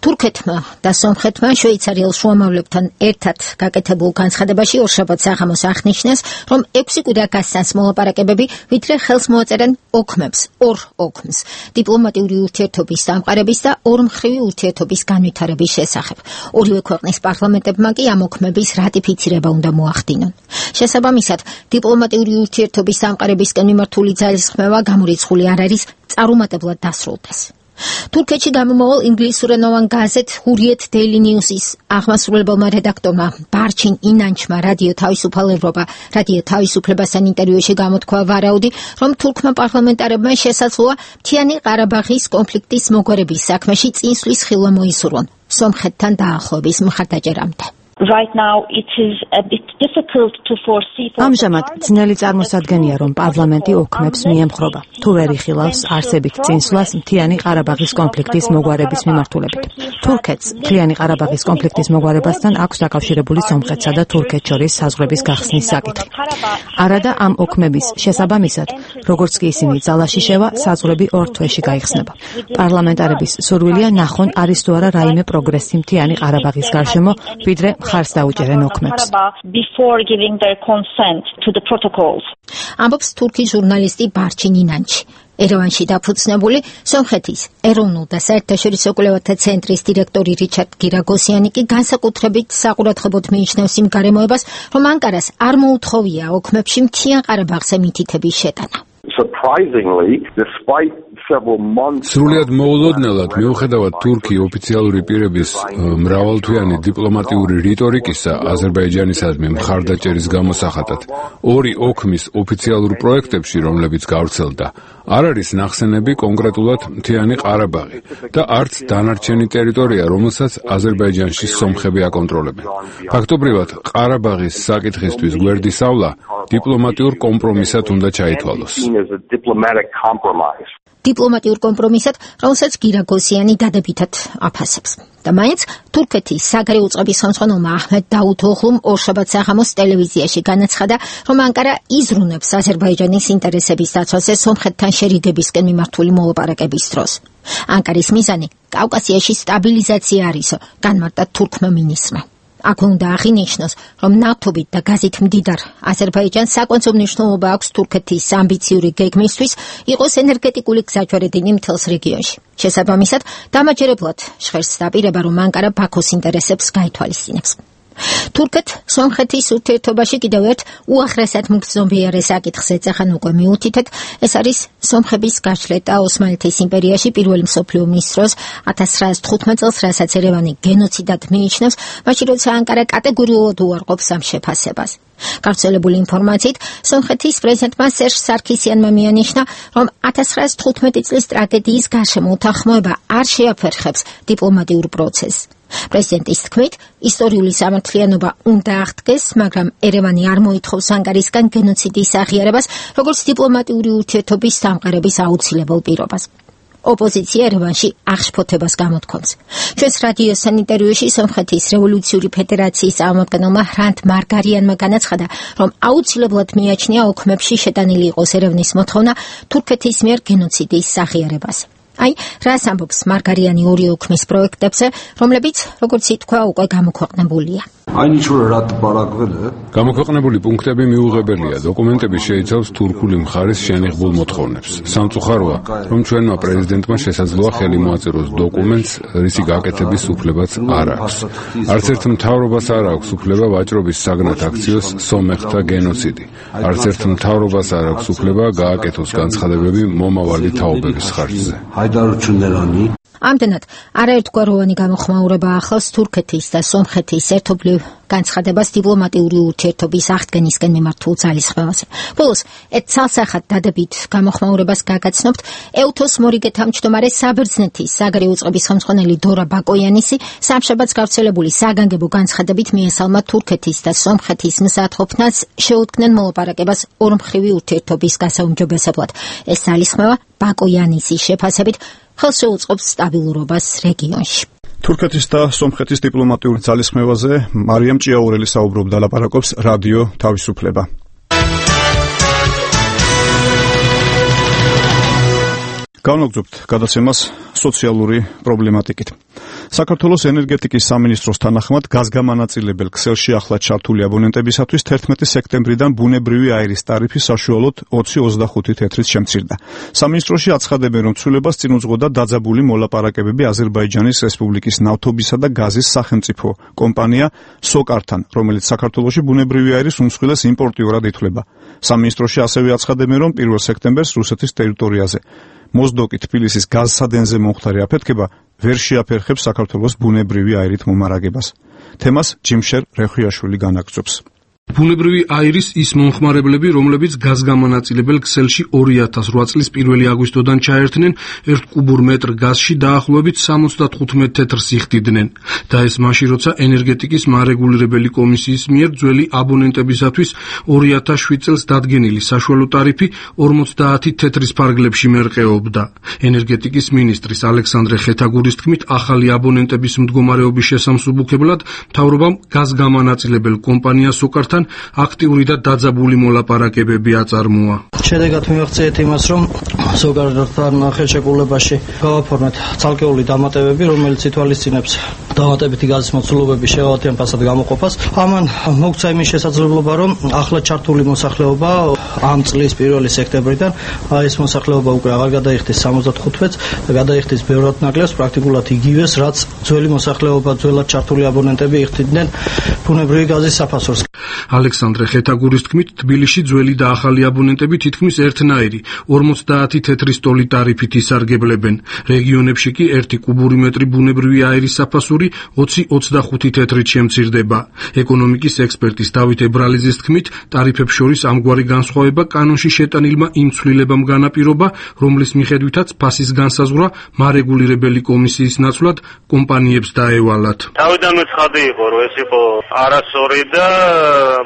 თურქეთმა და სომხეთმა შვეიცარიელ შუამავლებთან ერთად გაკეთებულ განცხადებაში ორშაბათს საღამოს აღნიშნეს, რომ 6 კვირა გასცანს მოლაპარაკებები, ვიდრე ხელს მოაწერენ ოქმებს, ორ ოქმს, დიპლომატიური ურთიერთობის დამყარების და ორმხრივი ურთიერთობის განვითარების შესახებ. ორივე ქვეყნის პარლამენტებმა კი ამ ოქმების რატიფიცირება უნდა მოახდინონ. შესაბამისად, დიპლომატიური ურთიერთობის დამყარებისკენ მიმართული ძალისხმევა გამორიცხული არ არის, წარუმატებლად დასრულდეს. თურქეთში გამომავალ ინგლისურენოვან გაზეთ ჰურიეთ დეილი ნიუსის აღმასრულებელმა რედაქტორმა ბარჩინ ინანჩმა რადიო თავისუფალ ევროპა, რადიო თავისუფლებასთან ინტერვიუში გამოთქვა ვარაუდი, რომ თურქმა პარლამენტარებმა შესაძლოა მთიანი ყარაბაღის კონფლიქტის მოგვარების საქმეში წინსვლის ხილვა მოისურვონ სომხეთთან დაახლოების მხარდაჭერამდე. Right now it is a bit difficult to foresee. ამჟამად ძნელი წარმოსადგენია, რომ პარლამენტი ოქმებს მიემხრობა, თუ ვერ იხილავს არსებით წინსვლას მთიანი ყარაბაღის კონფლიქტის მოგვარების მიმართულებით. თურქეთს მთიანი ყარაბაღის კონფლიქტის მოგვარებასთან აქვს დაკავშირებული სომხეთსა და თურქეთს შორის საზღვრების გახსნის საკითხი. არადა ამ ოქმების შესაბამისად, როგორც კი ისინი ძალაში შევა, საზღვრები 2 თვეში გაიხსნება. პარლამენტარების სურვილია ნახონ არის თუ არა რაიმე პროგრესი მთიანი ყარაბაღის გარშემო, ვიდრე მხარს დაუჭერენ ოქმებს. Before giving their consent to the protocols. ამბობს თურქი ჟურნალისტი ბარჩინ ინანჩი. ერევანში დაფუძნებული სომხეთის ეროვნულ და საერთაშორისო კვლევათა ცენტრის დირექტორი რიჩარდ გირაგოსიანი კი განსაკუთრებით საყურადღებოდ მიიჩნევს იმ გარემოებას, რომ ანკარას არ მოუთხოვია ოქმებში მთიან ყარაბაღზე მითითების შეტანა. Surprisingly, despite several months სრულიად მოულოდნელად მიუხედავად თურქი ოფიციალური პირების მრავალთვიანი დიპლომატიური რიტორიკისა აზერბაიჯანისადმი მხარდაჭერის გამოსახატად ორი ოქმის ოფიციალურ პროექტებში, რომლებიც გავრცელდა, არ არის ნახსენები კონკრეტულად მთიანი ყარაბაღი და არც დანარჩენი ტერიტორია, რომელსაც აზერბაიჯანში სომხები აკონტროლებენ. ფაქტობრივად, ყარაბაღის საკითხისთვის გვერდისავლა დიპლომატიურ კომპრომისად უნდა ჩაითვალოს. დიპლომატიურ კომპრომისად, რომელსაც გირაგოსიანი დადებითად აფასებს. და მაინც თურქეთის საგარეო უწყების ხელმძღვანელმა აჰმედ დაუთოღლუმ ორშაბათ საღამოს ტელევიზიაში განაცხადა, რომ ანკარა იზრუნებს აზერბაიჯანის ინტერესების დაცვაზე სომხეთთან შერიგებისკენ მიმართული მოლაპარაკების დროს. ანკარის მიზანი კავკასიაში სტაბილიზაცია არისო, განმარტა თურქმა მინისტრმა. აქ უნდა აღინიშნოს, რომ ნავთობით და გაზით მდიდარ აზერბაიჯანს საკვანძო მნიშვნელობა აქვს თურქეთის ამბიციური გეგმისთვის იყოს ენერგეტიკული გზაჯვარედინი მთელს რეგიონში. შესაბამისად, დამაჯერებლად ჟღერს დაპირება, რომ ანკარა ბაქოს ინტერესებს გაითვალისწინებს. თურქეთ-სომხეთის ურთიერთობაში კიდევ ერთ უახლესად მგრძნობიარე საკითხს ეძახან უკვე მიუთითეთ, ეს არის სომხების გაშლეტა ოსმალეთის იმპერიაში პირველი მსოფლიო ომის დროს 1915 წელს, რასაც ერევანი გენოციდად მიიჩნევს, მაშინ როცა ანკარა კატეგორიულად უარყოფს ამ შეფასებას. გავრცელებული ინფორმაციით, სომხეთის პრეზიდენტმა სერჟ სარქისიანმა მიანიშნა, რომ 1915 წლის ტრაგედიის გარშემო უთანხმოება არ შეაფერხებს დიპლომატიურ პროცესს. პრეზიდენტის თქმით, ისტორიული სამართლიანობა უნდა აღდგეს, მაგრამ ერევანი არ მოითხოვს ანკარისგან გენოციდის აღიარებას, როგორც დიპლომატიური ურთიერთობის დამყარების აუცილებელ პირობას. ოპოზიცია ერევანში აღშფოთებას გამოთქვამს. ჩვენს რადიოსთან ინტერვიუში სომხეთის რევოლუციური ფედერაციის წარმომადგენელმა ჰრანთ მარგარიანმა განაცხადა, რომ აუცილებლად მიაჩნია ოქმებში შეტანილი იყოს ერევნის მოთხოვნა თურქეთის მიერ გენოციდის აღიარებას. აი, რას ამბობს მარგარიანი ორი ოქმის პროექტებზე, რომლებიც, როგორც ითქვა, უკვე გამოქვეყნებულია. გამოქვეყნებული პუნქტები მიუღებელია. დოკუმენტები შეიცავს თურქული მხარის შენიღბულ მოთხოვნებს. სამწუხაროა, რომ ჩვენმა პრეზიდენტმა შესაძლოა ხელი მოაწეროს დოკუმენტს, რისი გაკეთების უფლებაც არ აქვს. არც ერთ მთავრობას არ აქვს უფლება ვაჭრობის საგნად აქციოს სომეხთა გენოციდი. არც ერთ მთავრობას არ აქვს უფლება გააკეთოს განცხადებები მომავალი თაობების ხარჯზე. ამდენად, არაერთგვაროვანი გამოხმაურება ახლავს თურქეთის და სომხეთის ერთობლივ განცხადებას დიპლომატიური ურთიერთობის აღდგენისკენ მიმართულ ძალისხმევაზე. ბოლოს, ერთ ცალსახად დადებით გამოხმაურებას გაგაცნობთ ეუთოს მორიგე თავმჯდომარე საბერძნეთის საგარეო უწყების ხელმძღვანელი დორა ბაკოიანისი სამშაბათს გავრცელებული საგანგებო განცხადებით მიესალმა თურქეთის და სომხეთის მზადყოფნას შეუდგნენ მოლაპარაკებას ორმხრივი ურთიერთობის გასაუმჯობესებლად. ეს ძალისხმევა ბაკოიანისის შეფასებით ხელს შეუწყობს სტაბილურობას რეგიონში. თურქეთის და სომხეთის დიპლომატიურ ძალისხმევაზე მარიამ ჭიაურელი საუბრობდა, ლაპარაკობს რადიო თავისუფლება. განვაგრძობთ გადაცემას სოციალური პრობლემატიკით. საქართველოს ენერგეტიკის სამინისტროს თანახმად გაზგამანაწილებელ ქსელში ახლად ჩართული აბონენტებისათვის 11 სექტემბრიდან ბუნებრივი აირის ტარიფი საშუალოდ 20-25 თეთრით შემცირდა. სამინისტროში აცხადებენ, რომ ცვლილებას წინ უძღოდა დაძაბული მოლაპარაკებები აზერბაიჯანის რესპუბლიკის ნავთობისა და გაზის სახელმწიფო კომპანია სოკართან, რომელიც საქართველოში ბუნებრივი აირის უმსხვილეს იმპორტიორად ითვლება. სამინისტროში ასევე აცხადებენ, რომ 1 სექტემბერს რუსეთის ტერიტორიაზე მოზდოკი თბილისის გაზსადენზე მომხდარი აფეთქება ვერ შეაფერხებს საქართველოს ბუნებრივი აირით მომარაგებას. თემას ჯიმშერ რეხვიაშვილი განაგრძობს. ბუნებრივი აირის ის მომხმარებლები, რომლებიც გაზგამანაწილებელ ქსელში 2008 წლის 1 აგვისტოდან ჩაერთნენ, 1 კუბურ მეტრ გაზში დაახლოებით 75 თეთრს იხდიდნენ და ეს მაშინ, როცა ენერგეტიკის მარეგულირებელი კომისიის მიერ ძველი აბონენტებისათვის 2007 წელს დადგენილი საშუალო ტარიფი 50 თეთრის ფარგლებში მერყეობდა. ენერგეტიკის მინისტრის ალექსანდრე ხეთაგურის თქმით, ახალი აბონენტების მდგომარეობის შესამსუბუქებლად მთავრობამ გაზგამანაწილებელ კომპანია სოკართან მიღებასთან აქტიური და დაძაბული მოლაპარაკებები აწარმოა. შედეგად მივახციეთ იმას, რომ ზოგადად ხელშეკრულებაში გავაფორმეთ ცალკეული დამატებები, რომელიც ითვალისწინებს დამატებითი გაზის მოცულობების შეუძლებელი ფასად გამოყოფას. ამან მოგცა იმის შესაძლებლობა, რომ ახლა ჩართული მოსახლეობა ამ წლის 1 სექტემბრიდან ეს მოსახლეობა უკვე აღარ გადაიხდეს 75 თვეც და გადაიხდეს ბევრად ნაკლებს, პრაქტიკულად იგივეს, რაც ძველი მოსახლეობა, ძველად ჩართული აბონენტები იხდიდნენ ბუნებრივი გაზის საფასურს. ალექსანდრე ხეთაგურის თქმით, თბილისში ძველი და ახალი აბონენტები თითქმის ერთნაირი 50 თეთრი სტოლი ტარიფით ისარგებლებენ. რეგიონებში კი 1 კუბური მეტრი ბუნებრივი აირის საფასური 20-25 თეთრით შემცირდება. ეკონომიკის ექსპერტის დავით ებრალიძის თქმით, ტარიფებს შორის ამგვარი განსხვავება კანონში შეტანილმა იმ ცვლილებამ განაპირობა, რომლის მიხედვითაც ფასის განსაზღვრა მარეგულირებელი კომისიის ნაცვლად კომპანიებს დაევალათ. თავიდანვე ცხადი იყო, რომ ეს იყო არასწორი და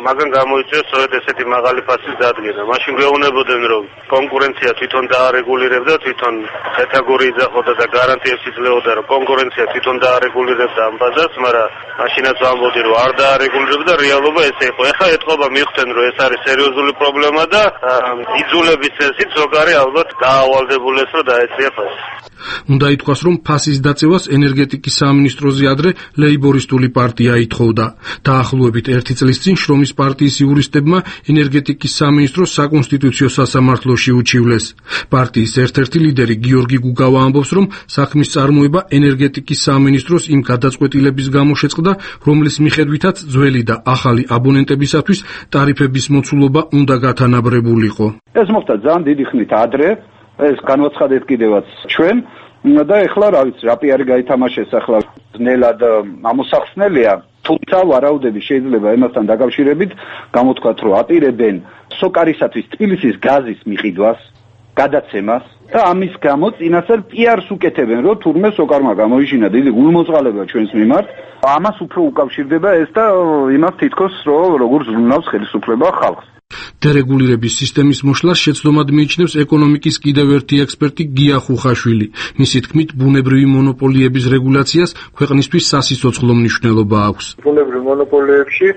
მაგან გამოიწვია სწორედ ესეთი მაღალი ფასის დადგენა. მაშინ გვეუბნებოდნენ, რომ კონკურენცია თვითონ დაარეგულირებდა, თვითონ ხეთაგური იძახოდა და გარანტიებს იძლეოდა, რომ კონკურენცია თვითონ დაარეგულირებდა ამ ბაზარს, მაგრამ მაშინაც ვამბობდი, რომ არ დაარეგულირებდა, რეალობა ესე იყო. ეხლა ეთყობა მიხვდნენ, რომ ეს არის სერიოზული პრობლემა და იძულების წესით ზოგარი ალბათ გაავალდებულეს, რომ დაეწია ფასი. უნდა ითქვას, რომ ფასის დაწევას ენერგეტიკის სამინისტროზე ადრე ლეიბორისტული პარტია ითხოვდა. დაახლოებით 1 წლის წინ შრომის პარტიის იურისტებმა ენერგეტიკის სამინისტროს საკონსტიტუციო სასამართლოში უჩივლეს. პარტიის ერთ-ერთი ლიდერი გიორგი გუგავა ამბობს, რომ საქმის წარმოება ენერგეტიკის სამინისტროს იმ გადაწყვეტილების გამო შეწყდა, რომლის მიხედვითაც ძველი და ახალი აბონენტებისათვის ტარიფების მოცულობა უნდა გათანაბრებულიყო. ეს მოხდა ძალიან დიდი ხნით ადრე, ეს განვაცხადეთ კიდევაც ჩვენ და ეხლა რა ვიცი, რა პიარი გაითამაშეს ახლა ძნელად ამოსახსნელია, თუმცა ვარაუდები შეიძლება იმასთან დაკავშირებით გამოთქვათ, რომ აპირებენ სოკარისათვის თბილისის გაზის მიყიდვას, გადაცემას და ამის გამო წინასწარ პიარს უკეთებენ, რომ თურმე სოკარმა გამოიჩინა დიდი გულმოწყალება ჩვენს მიმართ. ამას უფრო უკავშირდება ეს და იმას თითქოს, რომ როგორ ზრუნავს ხელისუფლება ხალხს. დერეგულირების სისტემის მოშლას შეცდომად მიიჩნევს ეკონომიკის კიდევ ერთი ექსპერტი გია ხუხაშვილი. მისი თქმით, ბუნებრივი მონოპოლიების რეგულაციას ქვეყნისთვის სასიცოცხლო მნიშვნელობა აქვს. ბუნებრივ მონოპოლიებში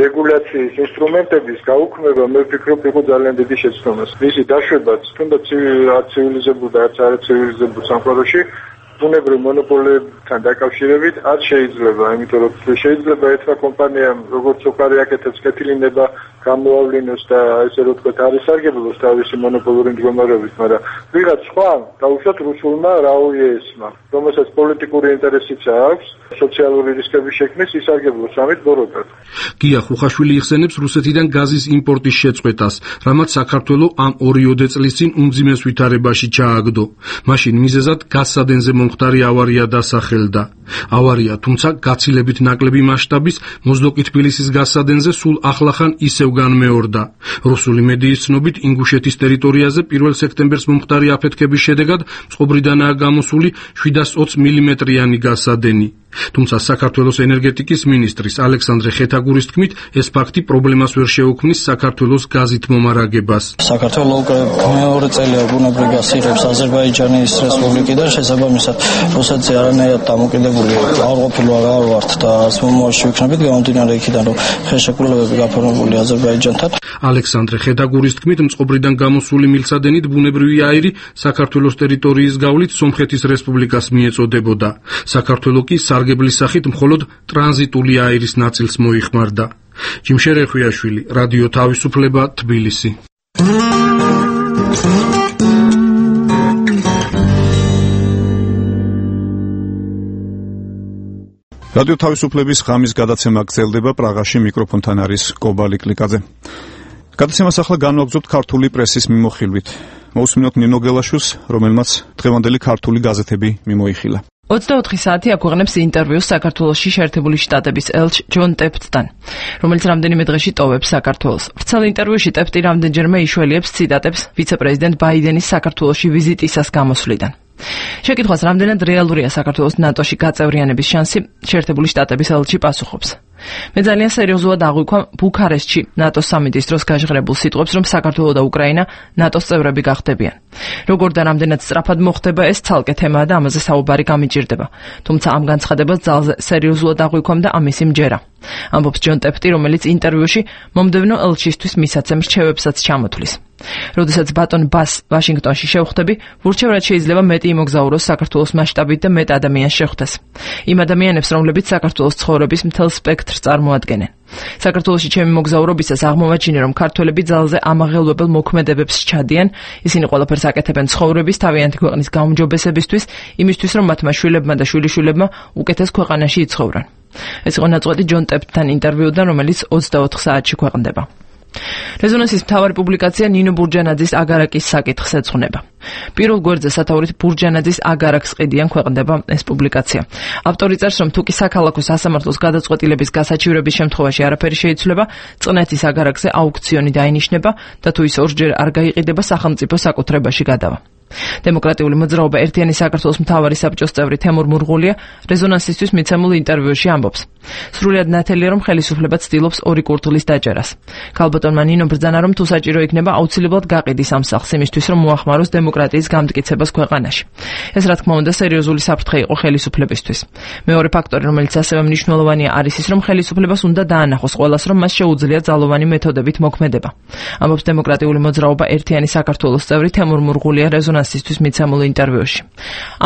რეგულაციის ინსტრუმენტების გაუქმება, მე ვფიქრობ, იყო ძალიან დიდი შეცდომა. მისი დაშვებაც, თუნდაც ცივილიზებულ და არცივილიზებულ სამყაროში ბუნებრივ მონოპოლიებთან დაკავშირებით არ შეიძლება, იმიტომ რომ შეიძლება ეთქვა კომპანიამ, როგორც სოკარი აკეთებს, კეთილინება გამოავლინოს და ესე რომ თქვა არის სარგებლობს თავისი მონოპოლური მდგომარეობით, მაგრამ ვიღაც სხვა დაუშვათ რუსულმა რაოიესმა, რომელსაც პოლიტიკური ინტერესიც აქვს, სოციალური რისკების შექმნის ისარგებლოს ამით ბოროტად. გია ხუხაშვილი იხსენებს რუსეთიდან გაზის იმპორტის შეწყვეტას, რამაც საქართველო ამ 2 წლის წინ უმძიმეს ვითარებაში ჩააგდო. მაშინ მიზეზად გაზსადენზე მომხდარი ავარია დასახელდა. ავარია, თუმცა გაცილებით ნაკლები მასშტაბის მოზდოკი თბილისის გაზსადენზე სულ ახლახან ისევ განმეორდა. რუსული მედიის ცნობით, ინგუშეთის ტერიტორიაზე 1 სექტემბერს მომხდარი აფეთქების შედეგად წყობრიდანაა გამოსული 720 მმ-იანი გაზსადენი. თუმცა საქართველოს ენერგეტიკის მინისტრის ალექსანდრე ხეთაგურის თქმით, ეს ფაქტი პრობლემას ვერ შეუქმნის საქართველოს გაზით მომარაგებას. საქართველო უკვე მეორე წელია ბუნებრივ გაზს იღებს აზერბაიჯანის რესპუბლიკიდან, შესაბამისად რუსეთზე არანაირად დამოკიდებული არ ვართ და არც მომავალში ვიქნებით გამომდინარე იქიდან, რომ ხელშეკრულებები გაფორმებული აზერბაიჯანთან. ალექსანდრე ხეთაგურის თქმით, მწყობრიდან გამოსული მილსადენით ბუნებრივი აირი საქართველოს ტერიტორიის გავლით სომხეთის რესპუბლიკას მიეწოდებოდა. საქართველო კი სარგებლის სახით მხოლოდ ტრანზიტული აირის ნაწილს მოიხმარდა. ჯიმშერ ეხვიაშვილი, რადიო თავისუფლება, თბილისი. რადიო თავისუფლების ღამის გადაცემა გრძელდება. პრაღაში მიკროფონთან არის კობალი კლიკაძე. გადაცემას ახლა განვაგრძობთ ქართული პრესის მიმოხილვით. მოусმინოთ ნინო გელაშვილს, რომელმაც დღევანდელი ქართული გაზეთები მიმოიხილა. 24 საათი აქვეყნებს ინტერვიუს საქართველოში შეერთებული შტატების ელჩ ჯონ ტეფტთან, რომელიც რამდენიმე დღეში ტოვებს საქართველოს. ვრცელ ინტერვიუში ტეფტი რამდენჯერმე იშველიებს ციტატებს ვიცე-პრეზიდენტ ბაიდენის საქართველოში ვიზიტისას გამოსვლიდან. შეკითხვას, რამდენად რეალურია საქართველოს ნატოში გაწევრიანების შანსი, შეერთებული შტატების ელჩი პასუხობს. მე ძალიან სერიოზულად აღვიქვა ბუქარესტში ნატოს სამიტის დროს გაჟღერებულ სიტყვებს, რომ საქართველო და უკრაინა ნატოს წევრები გახდებიან. როგორ და რამდენად სწრაფად მოხდება ეს ცალკე თემაა და ამაზე საუბარი გამიჭირდება. თუმცა ამ განცხადებას ძალზე სერიოზულად აღვიქვამ და ამისი მჯერა. ამბობს ჯონ ტეფტი, რომელიც ინტერვიუში მომდევნო ელჩისთვის მისაცემ რჩევებსაც ჩამოთვლის. როდესაც ბატონ ბას ვაშინგტონში შევხვდები, ვურჩევ რაც შეიძლება მეტი იმოგზაუროს საქართველოს მასშტაბით და მეტ ადამიანს შეხვდეს. იმ ადამიანებს, რომლებიც საქართველოს ცხოვრების მთელ სპექტრს წარმოადგენენ. საქართველოში ჩემი მოგზაურობისას აღმოვაჩინე, რომ ქართველები ძალზე ამაღელვებელ მოქმედებებს ჩადიან, ისინი ყველაფერს აკეთებენ ცხოვრების თავიანთი ქვეყნის გაუმჯობესებისთვის, იმისთვის, რომ მათმა შვილებმა და შვილიშვილებმა უკეთეს ქვეყანაში იცხოვრონ. ეს იყო ნაწყვეტი ჯონ ტეფტთან ინტერვიუდან, რომელიც 24 საათში ქვეყნდება. რეზონანსის მთავარი პუბლიკაცია ნინო ბურჯანაძის აგარაკის საკითხს ეძღვნება. პირველ გვერდზე სათაურით ბურჯანაძის აგარაკს ყიდიან ქვეყნდება ეს პუბლიკაცია. ავტორი წერს, რომ თუკი საქალაქო სასამართლოს გადაწყვეტილების გასაჩივრების შემთხვევაში არაფერი შეიცვლება, წნეთის აგარაკზე აუქციონი დაინიშნება და თუ ის ორჯერ არ გაიყიდება, სახელმწიფო საკუთრებაში გადავა. დემოკრატიული მოძრაობა ერთიანი საქართველოს მთავარი საბჭოს წევრი თემურ მურღულია რეზონანსისთვის მიცემულ ინტერვიუში ამბობს. სრულიად ნათელია, რომ ხელისუფლება ცდილობს ორი კურდღლის დაჭერას. ქალბატონმა ნინო ბრძანა, რომ თუ საჭირო იქნება, აუცილებლად გაყიდის ამ სახლს იმისთვის, რომ მოახმაროს დემოკრატიის გამტკიცებას ქვეყანაში. ეს რა თქმა უნდა სერიოზული საფრთხე იყო ხელისუფლებისთვის. მეორე ფაქტორი, რომელიც ასევე მნიშვნელოვანია, არის ის, რომ ხელისუფლებას უნდა დაანახოს ყველას, რომ მას შეუძლია ძალოვანი მეთოდებით მოქმედება. ამბობს დემოკრატიული მოძრაობა ერთიანი საქართველოს წევრი თემურ მურღულია რეზონანსისთვის მიცემულ ინტერვიუში.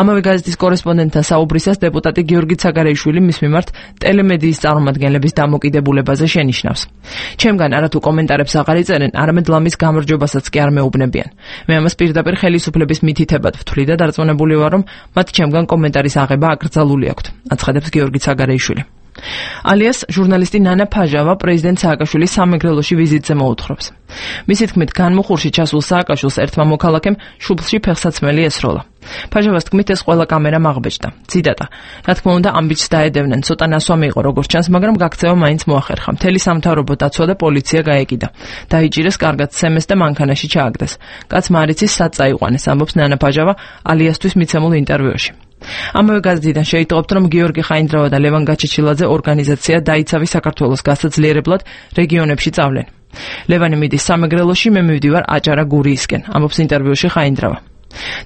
ამავე გაზეთის კორესპონდენტთან საუბრისას დეპუტატი გიორგი ცაგარეიშვილი მის მიმართ ტელემედიის წარმომადგენლების დამოკიდებულებაზე შენიშნავს. ჩემგან არათუ კომენტარებს აღარ იწერენ, არამედ ლამის გამარჯვებასაც კი არ მეუბნებიან. მე ამას პირდაპირ ხელისუფლების მითითებად ვთვლი და დარწმუნებული ვარ, რომ მათ ჩემგან კომენტარის აღება აკრძალული აქვთ, აცხადებს გიორგი ცაგარეიშვილი. ალიას ჟურნალისტი ნანა ფაჟავა პრეზიდენტ სააკაშვილის სამეგრელოში ვიზიტზე მოუთხრობს. მისი თქმით, განმუხურში ჩასულ სააკაშვილს ერთმა მოქალაქემ შუბლში ფეხსაცმელი ესროლა. ფაჟავას თქმით, ეს ყველა კამერამ აღბეჭდა. ციტატა: რა თქმა უნდა, ამბიჯს დაედევნენ, ცოტა ნასვამი იყო როგორც ჩანს, მაგრამ გაქცევა მაინც მოახერხა. მთელი სამთავრობო დაცვა და პოლიცია გაეკიდა. დაიჭირეს კარგად სემეს და მანქანაში ჩააგდეს. კაცმა არ იცის სად წაიყვანეს, ამბობს ნანა ფაჟავა ალიასთვის მიცემულ ინტერვიუში. ამავე გაზეთიდან შეიტყობთ, რომ გიორგი ხაინდრავა და ლევან გაჩეჩილაძე ორგანიზაცია დაიცავი საქართველოს გასაძლიერებლად რეგიონებში წავლენ. ლევანი მიდის სამეგრელოში, მე მივდივარ აჭარა გურიისკენ, ამბობს ინტერვიუში ხაინდრავა.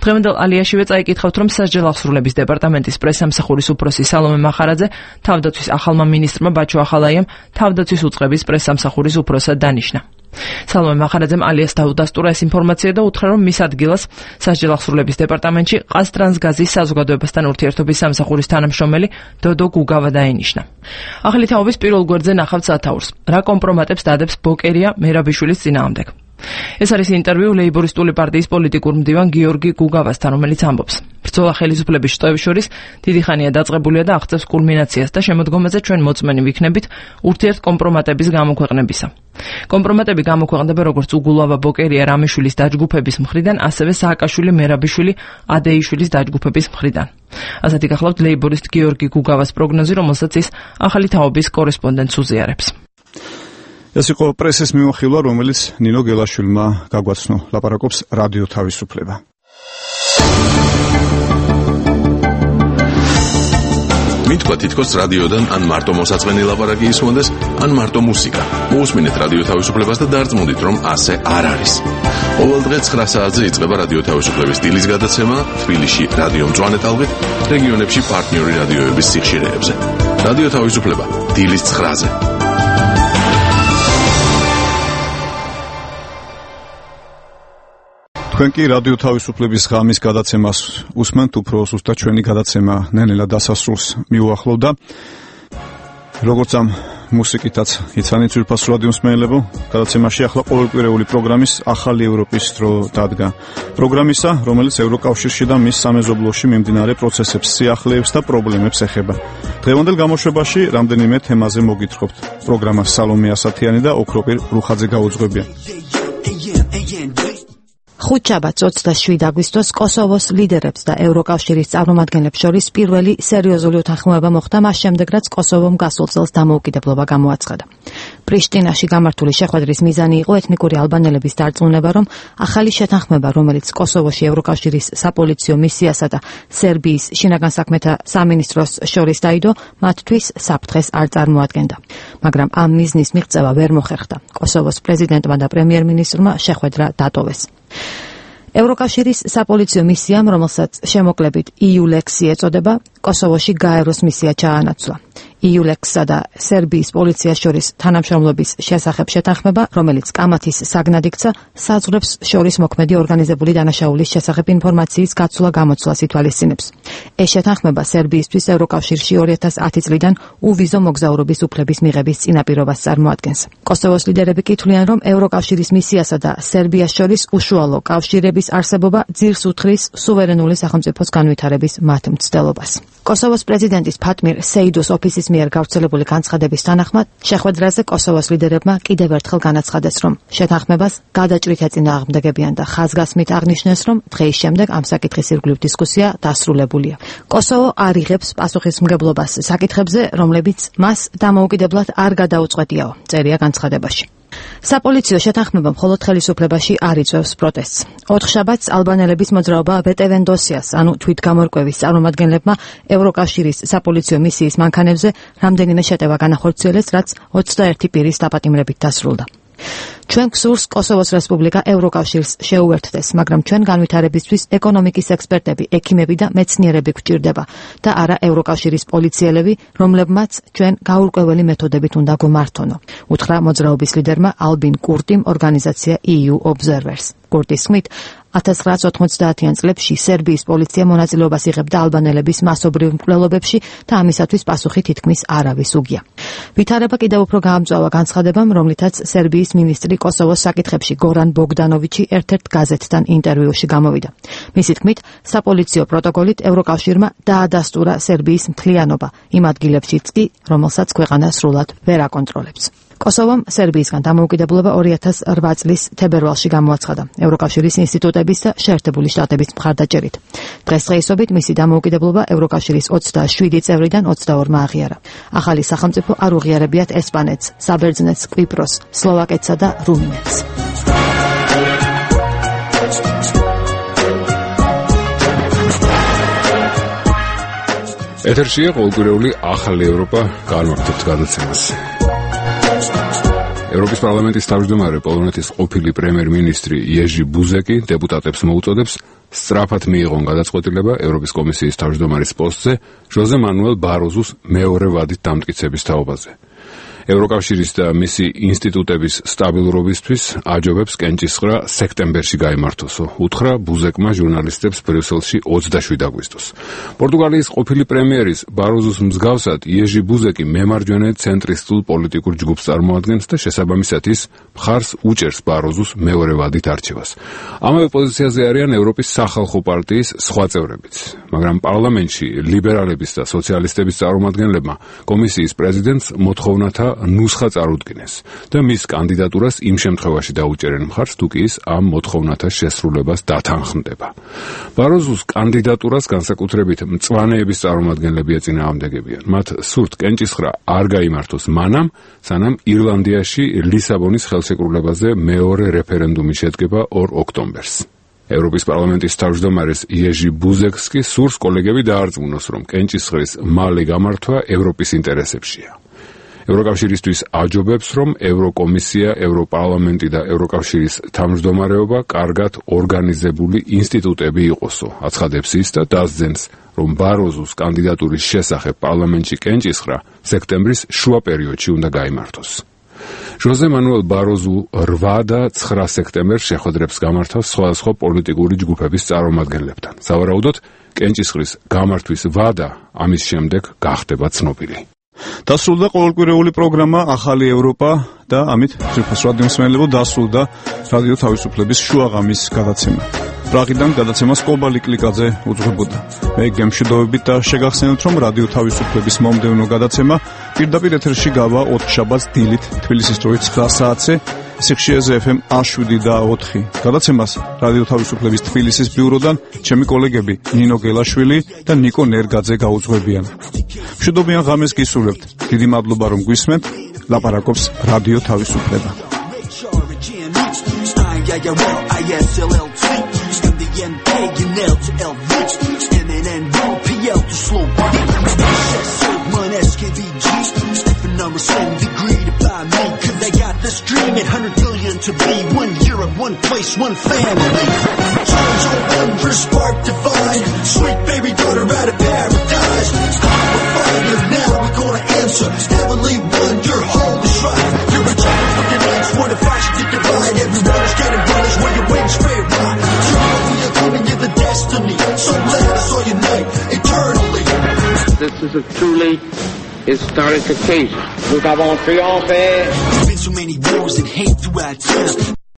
დღევანდელ ალიაშივე წაიკითხავთ, რომ სასჯელ აღსრულების დეპარტამენტის პრესსამსახურის უფროსი სალომე მახარაძე თავდაცვის ახალმა მინისტრმა ბაჩო ახალაიამ თავდაცვის უწყების პრესსამსახურის უფროსად დანიშნა. სალომე მახარაძემ ალიას დაუდასტურა ეს ინფორმაცია და უთხრა, რომ მის ადგილას სასჯელ აღსრულების დეპარტამენტში ყაზტრანსგაზის საზოგადოებასთან ურთიერთობის სამსახურის თანამშრომელი დოდო გუგავა დაინიშნა. ახალი თაობის პირველ გვერდზე ნახავთ სათაურს. რა კომპრომატებს დადებს ბოკერია მერაბიშვილის წინააღმდეგ. ეს არის ინტერვიუ ლეიბორისტული პარტიის პოლიტიკურ მდივან გიორგი გუგავასთან, რომელიც ამბობს: ბრძოლა ხელისუფლების შტოების შორის დიდი ხანია დაწყებულია და აღწევს კულმინაციას და შემოდგომაზე ჩვენ მოწმენი ვიქნებით ურთიერთ კომპრომატების გამოქვეყნებისა. კომპრომატები გამოქვეყნდება როგორც უგულავა ბოკერია რამიშვილის დაჯგუფების მხრიდან, ასევე სააკაშვილი მერაბიშვილი ადეიშვილის დაჯგუფების მხრიდან. ასეთი გახლავთ ლეიბორისტ გიორგი გუგავას პროგნოზი, რომელსაც ის ახალი თაობის კორესპონდენტს უზიარებს. ეს იყო პრესის მიმოხილვა, რომელიც ნინო გელაშვილმა გაგვაცნო. ლაპარაკობს რადიო თავისუფლება. მითქვა თითქოს რადიოდან ან მარტო მოსაწყენი ლაპარაკი ისმონდეს, ან მარტო მუსიკა. მოусმინეთ რადიო თავისუფლებას და დარწმუნდით, რომ ასე არ არის. ყოველ დღე 9 საათზე იწყება რადიო თავისუფლების დილის გადაცემა თბილისში რადიო მწვანე ტალღით, რეგიონებში პარტნიორი რადიოების სიხშირეებზე. რადიო თავისუფლება დილის 9-ზე. თქვენ კი რადიო თავისუფლების ღამის გადაცემას უსმენთ, უფრო სუსტად ჩვენი გადაცემა ნელ-ნელა დასასრულს მიუახლოვდა. როგორც ამ მუსიკითაც იცანით ძვირფას რადიო მსმენელებო, გადაცემაში ახლა ყოველკვირეული პროგრამის ახალი ევროპის დრო დადგა. პროგრამისა, რომელიც ევროკავშირში და მის სამეზობლოში მიმდინარე პროცესებს, სიახლეებს და პრობლემებს ეხება. დღევანდელ გამოშვებაში რამდენიმე თემაზე მოგითხრობთ. პროგრამა სალომე ასათიანი და ოქროპირ რუხაძე გაუძღვებიან. ხუთშაბათს 27 აგვისტოს კოსოვოს ლიდერებს და ევროკავშირის წარმომადგენლებს შორის პირველი სერიოზული უთანხმოება მოხდა მას შემდეგ, რაც კოსოვომ გასულ წელს დამოუკიდებლობა გამოაცხადა. პრიშტინაში გამართული შეხვედრის მიზანი იყო ეთნიკური ალბანელების დარწმუნება, რომ ახალი შეთანხმება, რომელიც კოსოვოში ევროკავშირის საპოლიციო მისიასა და სერბიის შინაგან საქმეთა სამინისტროს შორის დაიდო, მათთვის საფრთხეს არ წარმოადგენდა. მაგრამ ამ მიზნის მიღწევა ვერ მოხერხდა. კოსოვოს პრეზიდენტმა და პრემიერ-მინისტრმა შეხვედრა დატოვეს. ევროკავშირის საპოლიციო მისიამ, რომელსაც შემოკლებით EULEX-ი ეწოდება, კოსოვოში გაეროს მისია ჩაანაცვლა. EULEX-სა და სერბიის პოლიციას შორის თანამშრომლობის შესახებ შეთანხმება, რომელიც კამათის საგნად იქცა, საზღვრებს შორის მოქმედი ორგანიზებული დანაშაულის შესახებ ინფორმაციის გაცვლა-გამოცვლას ითვალისწინებს. ეს შეთანხმება სერბიისთვის ევროკავშირში 2010 წლიდან უვიზო მოგზაურობის უფლების მიღების წინაპირობას წარმოადგენს. კოსოვოს ლიდერები კითხვიან, რომ ევროკავშირის მისიასა და სერბიას შორის უშუალო კავშირების არსებობა ძირს უთხრის სუვერენული სახელმწიფოს განვითარების მათ მცდელობას. კოსოვოს პრეზიდენტის ფატმირ სეიდოს ოფისის მიერ გავრცელებული განცხადების თანახმად, შეხვედრაზე კოსოვოს ლიდერებმა კიდევ ერთხელ განაცხადეს, რომ შეთანხმებას გადაჭრით ეწინააღმდეგებიან და ხაზგასმით აღნიშნეს, რომ დღის შემდეგ ამ საკითხის ირგვლივ დისკუსია დასრულებულია. კოსოვო არ იღებს პასუხისმგებლობას საკითხებზე, რომლებიც მას დამოუკიდებლად არ გადაუწყვეტიაო, წერია განცხადებაში. საპოლიციო შეთანხმება მხოლოდ ხელისუფლებაში არ იწვევს პროტესტს. 4 შაბათს ალბანელების მოძრაობა ბეტევენდოსიას, ანუ თვითგამორკვევის წარმომადგენლებმა ევროკავშირის საპოლიციო მისიის მანქანებზე რამდენიმე შეტევა განახორციელეს, რაც 21 პირის დაპატიმრებით დასრულდა. ჩვენ გსურს კოსოვოს რესპუბლიკა ევროკავშირს შეუერთდეს, მაგრამ ჩვენ განვითარებისთვის ეკონომიკის ექსპერტები, ექიმები და მეცნიერები გვჭირდება და არა ევროკავშირის პოლიციელები, რომლებმაც ჩვენ გაურკვეველი მეთოდებით უნდა გვმართონო, უთხრა მოძრაობის ლიდერმა ალბინ კურტიმ ორგანიზაცია EU Observers. კურტის თქმით, 1990-იან წლებში სერბიის პოლიცია მონაწილეობას იღებდა ალბანელების მასობრივ მკვლელობებში და ამისათვის პასუხი თითქმის არავის უგია. ვითარება კიდევ უფრო გაამწვავა განცხადებამ, რომლითაც სერბიის მინისტრი კოსოვოს საკითხებში გორან ბოგდანოვიჩი ერთ-ერთ გაზეთთან ინტერვიუში გამოვიდა. მისი თქმით, საპოლიციო პროტოკოლით ევროკავშირმა დაადასტურა სერბიის მთლიანობა იმ ადგილებშიც კი, რომელსაც ქვეყანა სრულად ვერ აკონტროლებს. კოსოვომ სერბიისგან დამოუკიდებლობა 2008 წლის თებერვალში გამოაცხადა ევროკავშირის ინსტიტუტების და შეერთებული შტატების მხარდაჭერით. დღესდღეობით მისი დამოუკიდებლობა ევროკავშირის 27 წევრიდან 22-მა აღიარა. ახალი სახელმწიფო არ უღიარებიათ ესპანეთს, საბერძნეთს, კვიპროსს, სლოვაკეთსა და რუმინეთს. ეთერშია ყოველკვირეული ახალი ევროპა, განვაგრძობთ გადაცემას. ევროპის პარლამენტის თავმჯდომარე პოლონეთის ყოფილი პრემიერ-მინისტრი იეჟი ბუზეკი დეპუტატებს მოუწოდებს სწრაფად მიიღონ გადაწყვეტილება ევროპის კომისიის თავმჯდომარის პოსტზე ჟოზე მანუელ ბაროზუს მეორე ვადით დამტკიცების თაობაზე. ევროკავშირის და მისი ინსტიტუტების სტაბილურობისთვის აჯობებს კენჭისყრა სექტემბერში გაიმართოსო, უთხრა ბუზეკმა ჟურნალისტებს ბრიუსელში 27 აგვისტოს. პორტუგალიის ყოფილი პრემიერის ბაროზუს მსგავსად იეჟი ბუზეკი მემარჯვენე ცენტრისტულ პოლიტიკურ ჯგუფს წარმოადგენს და შესაბამისად ის მხარს უჭერს ბაროზუს მეორე ვადით არჩევას. ამავე პოზიციაზე არიან ევროპის სახალხო პარტიის სხვა წევრებიც, მაგრამ პარლამენტში ლიბერალების და სოციალისტების წარმომადგენლებმა კომისიის პრეზიდენტს მოთხოვნათა ნუსხა წარუდგინეს და მის კანდიდატურას იმ შემთხვევაში დაუჭერენ მხარს, თუ კი ის ამ მოთხოვნათა შესრულებას დათანხმდება. ბაროზუს კანდიდატურას განსაკუთრებით მწვანეების წარმომადგენლები ეწინააღმდეგებიან. მათ სურთ კენჭისყრა არ გაიმართოს მანამ, სანამ ირლანდიაში ლისაბონის ხელშეკრულებაზე მეორე რეფერენდუმი შედგება 2 ოქტომბერს. ევროპის პარლამენტის თავმჯდომარეს იეჟი ბუზეკს კი სურს კოლეგები დაარწმუნოს, რომ კენჭისყრის მალე გამართვა ევროპის ინტერესებშია. ევროკავშირისთვის აჯობებს, რომ ევროკომისია, ევროპარლამენტი და ევროკავშირის თავმჯდომარეობა კარგად ორგანიზებული ინსტიტუტები იყოსო, აცხადებს ის და დასძენს, რომ ბაროზუს კანდიდატურის შესახებ პარლამენტში კენჭისყრა სექტემბრის შუა პერიოდში უნდა გაიმართოს. ჟოზე მანუელ ბაროზუ 8 და 9 სექტემბერს შეხვედრებს გამართავს სხვადასხვა პოლიტიკური ჯგუფების წარმომადგენლებთან. სავარაუდოდ, კენჭისყრის გამართვის ვადა ამის შემდეგ გახდება ცნობილი. დასრულდა ყოველკვირეული პროგრამა ახალი ევროპა და ამით ძირფას რადიო მსმენელებო დასრულდა რადიო თავისუფლების შუაღამის გადაცემა. პრაღიდან გადაცემას კობალი კლიკაძე უძღვებოდა. მე გემშვიდობებით და შეგახსენებთ, რომ რადიო თავისუფლების მომდევნო გადაცემა პირდაპირ ეთერში გავა 4 შაბათს დილით თბილისის დროით 9 საათზე სიხშირეზე FM 7 და 4. გადაცემას რადიო თავისუფლების თბილისის ბიუროდან ჩემი კოლეგები ნინო გელაშვილი და ნიკო ნერგაძე გაუძღვებიან. მშვიდობიან ღამეს გისურვებთ. დიდი მადლობა რომ გვისმენთ. ლაპარაკობს რადიო თავისუფლება. This dream at 100 billion to be one Europe, one place, one family. Times are wonder, spark divine. Sweet baby daughter out of paradise. We're fire now, we're gonna answer. Heavenly one, your home is right. You're a child of your lights, what if I should divide? Everyone is getting punished when your wings straight right. Tomorrow we are coming to the destiny. So let us all unite eternally. This is a truly historic occasion. Nous avons triomphé. There's been so many wars and hate throughout time.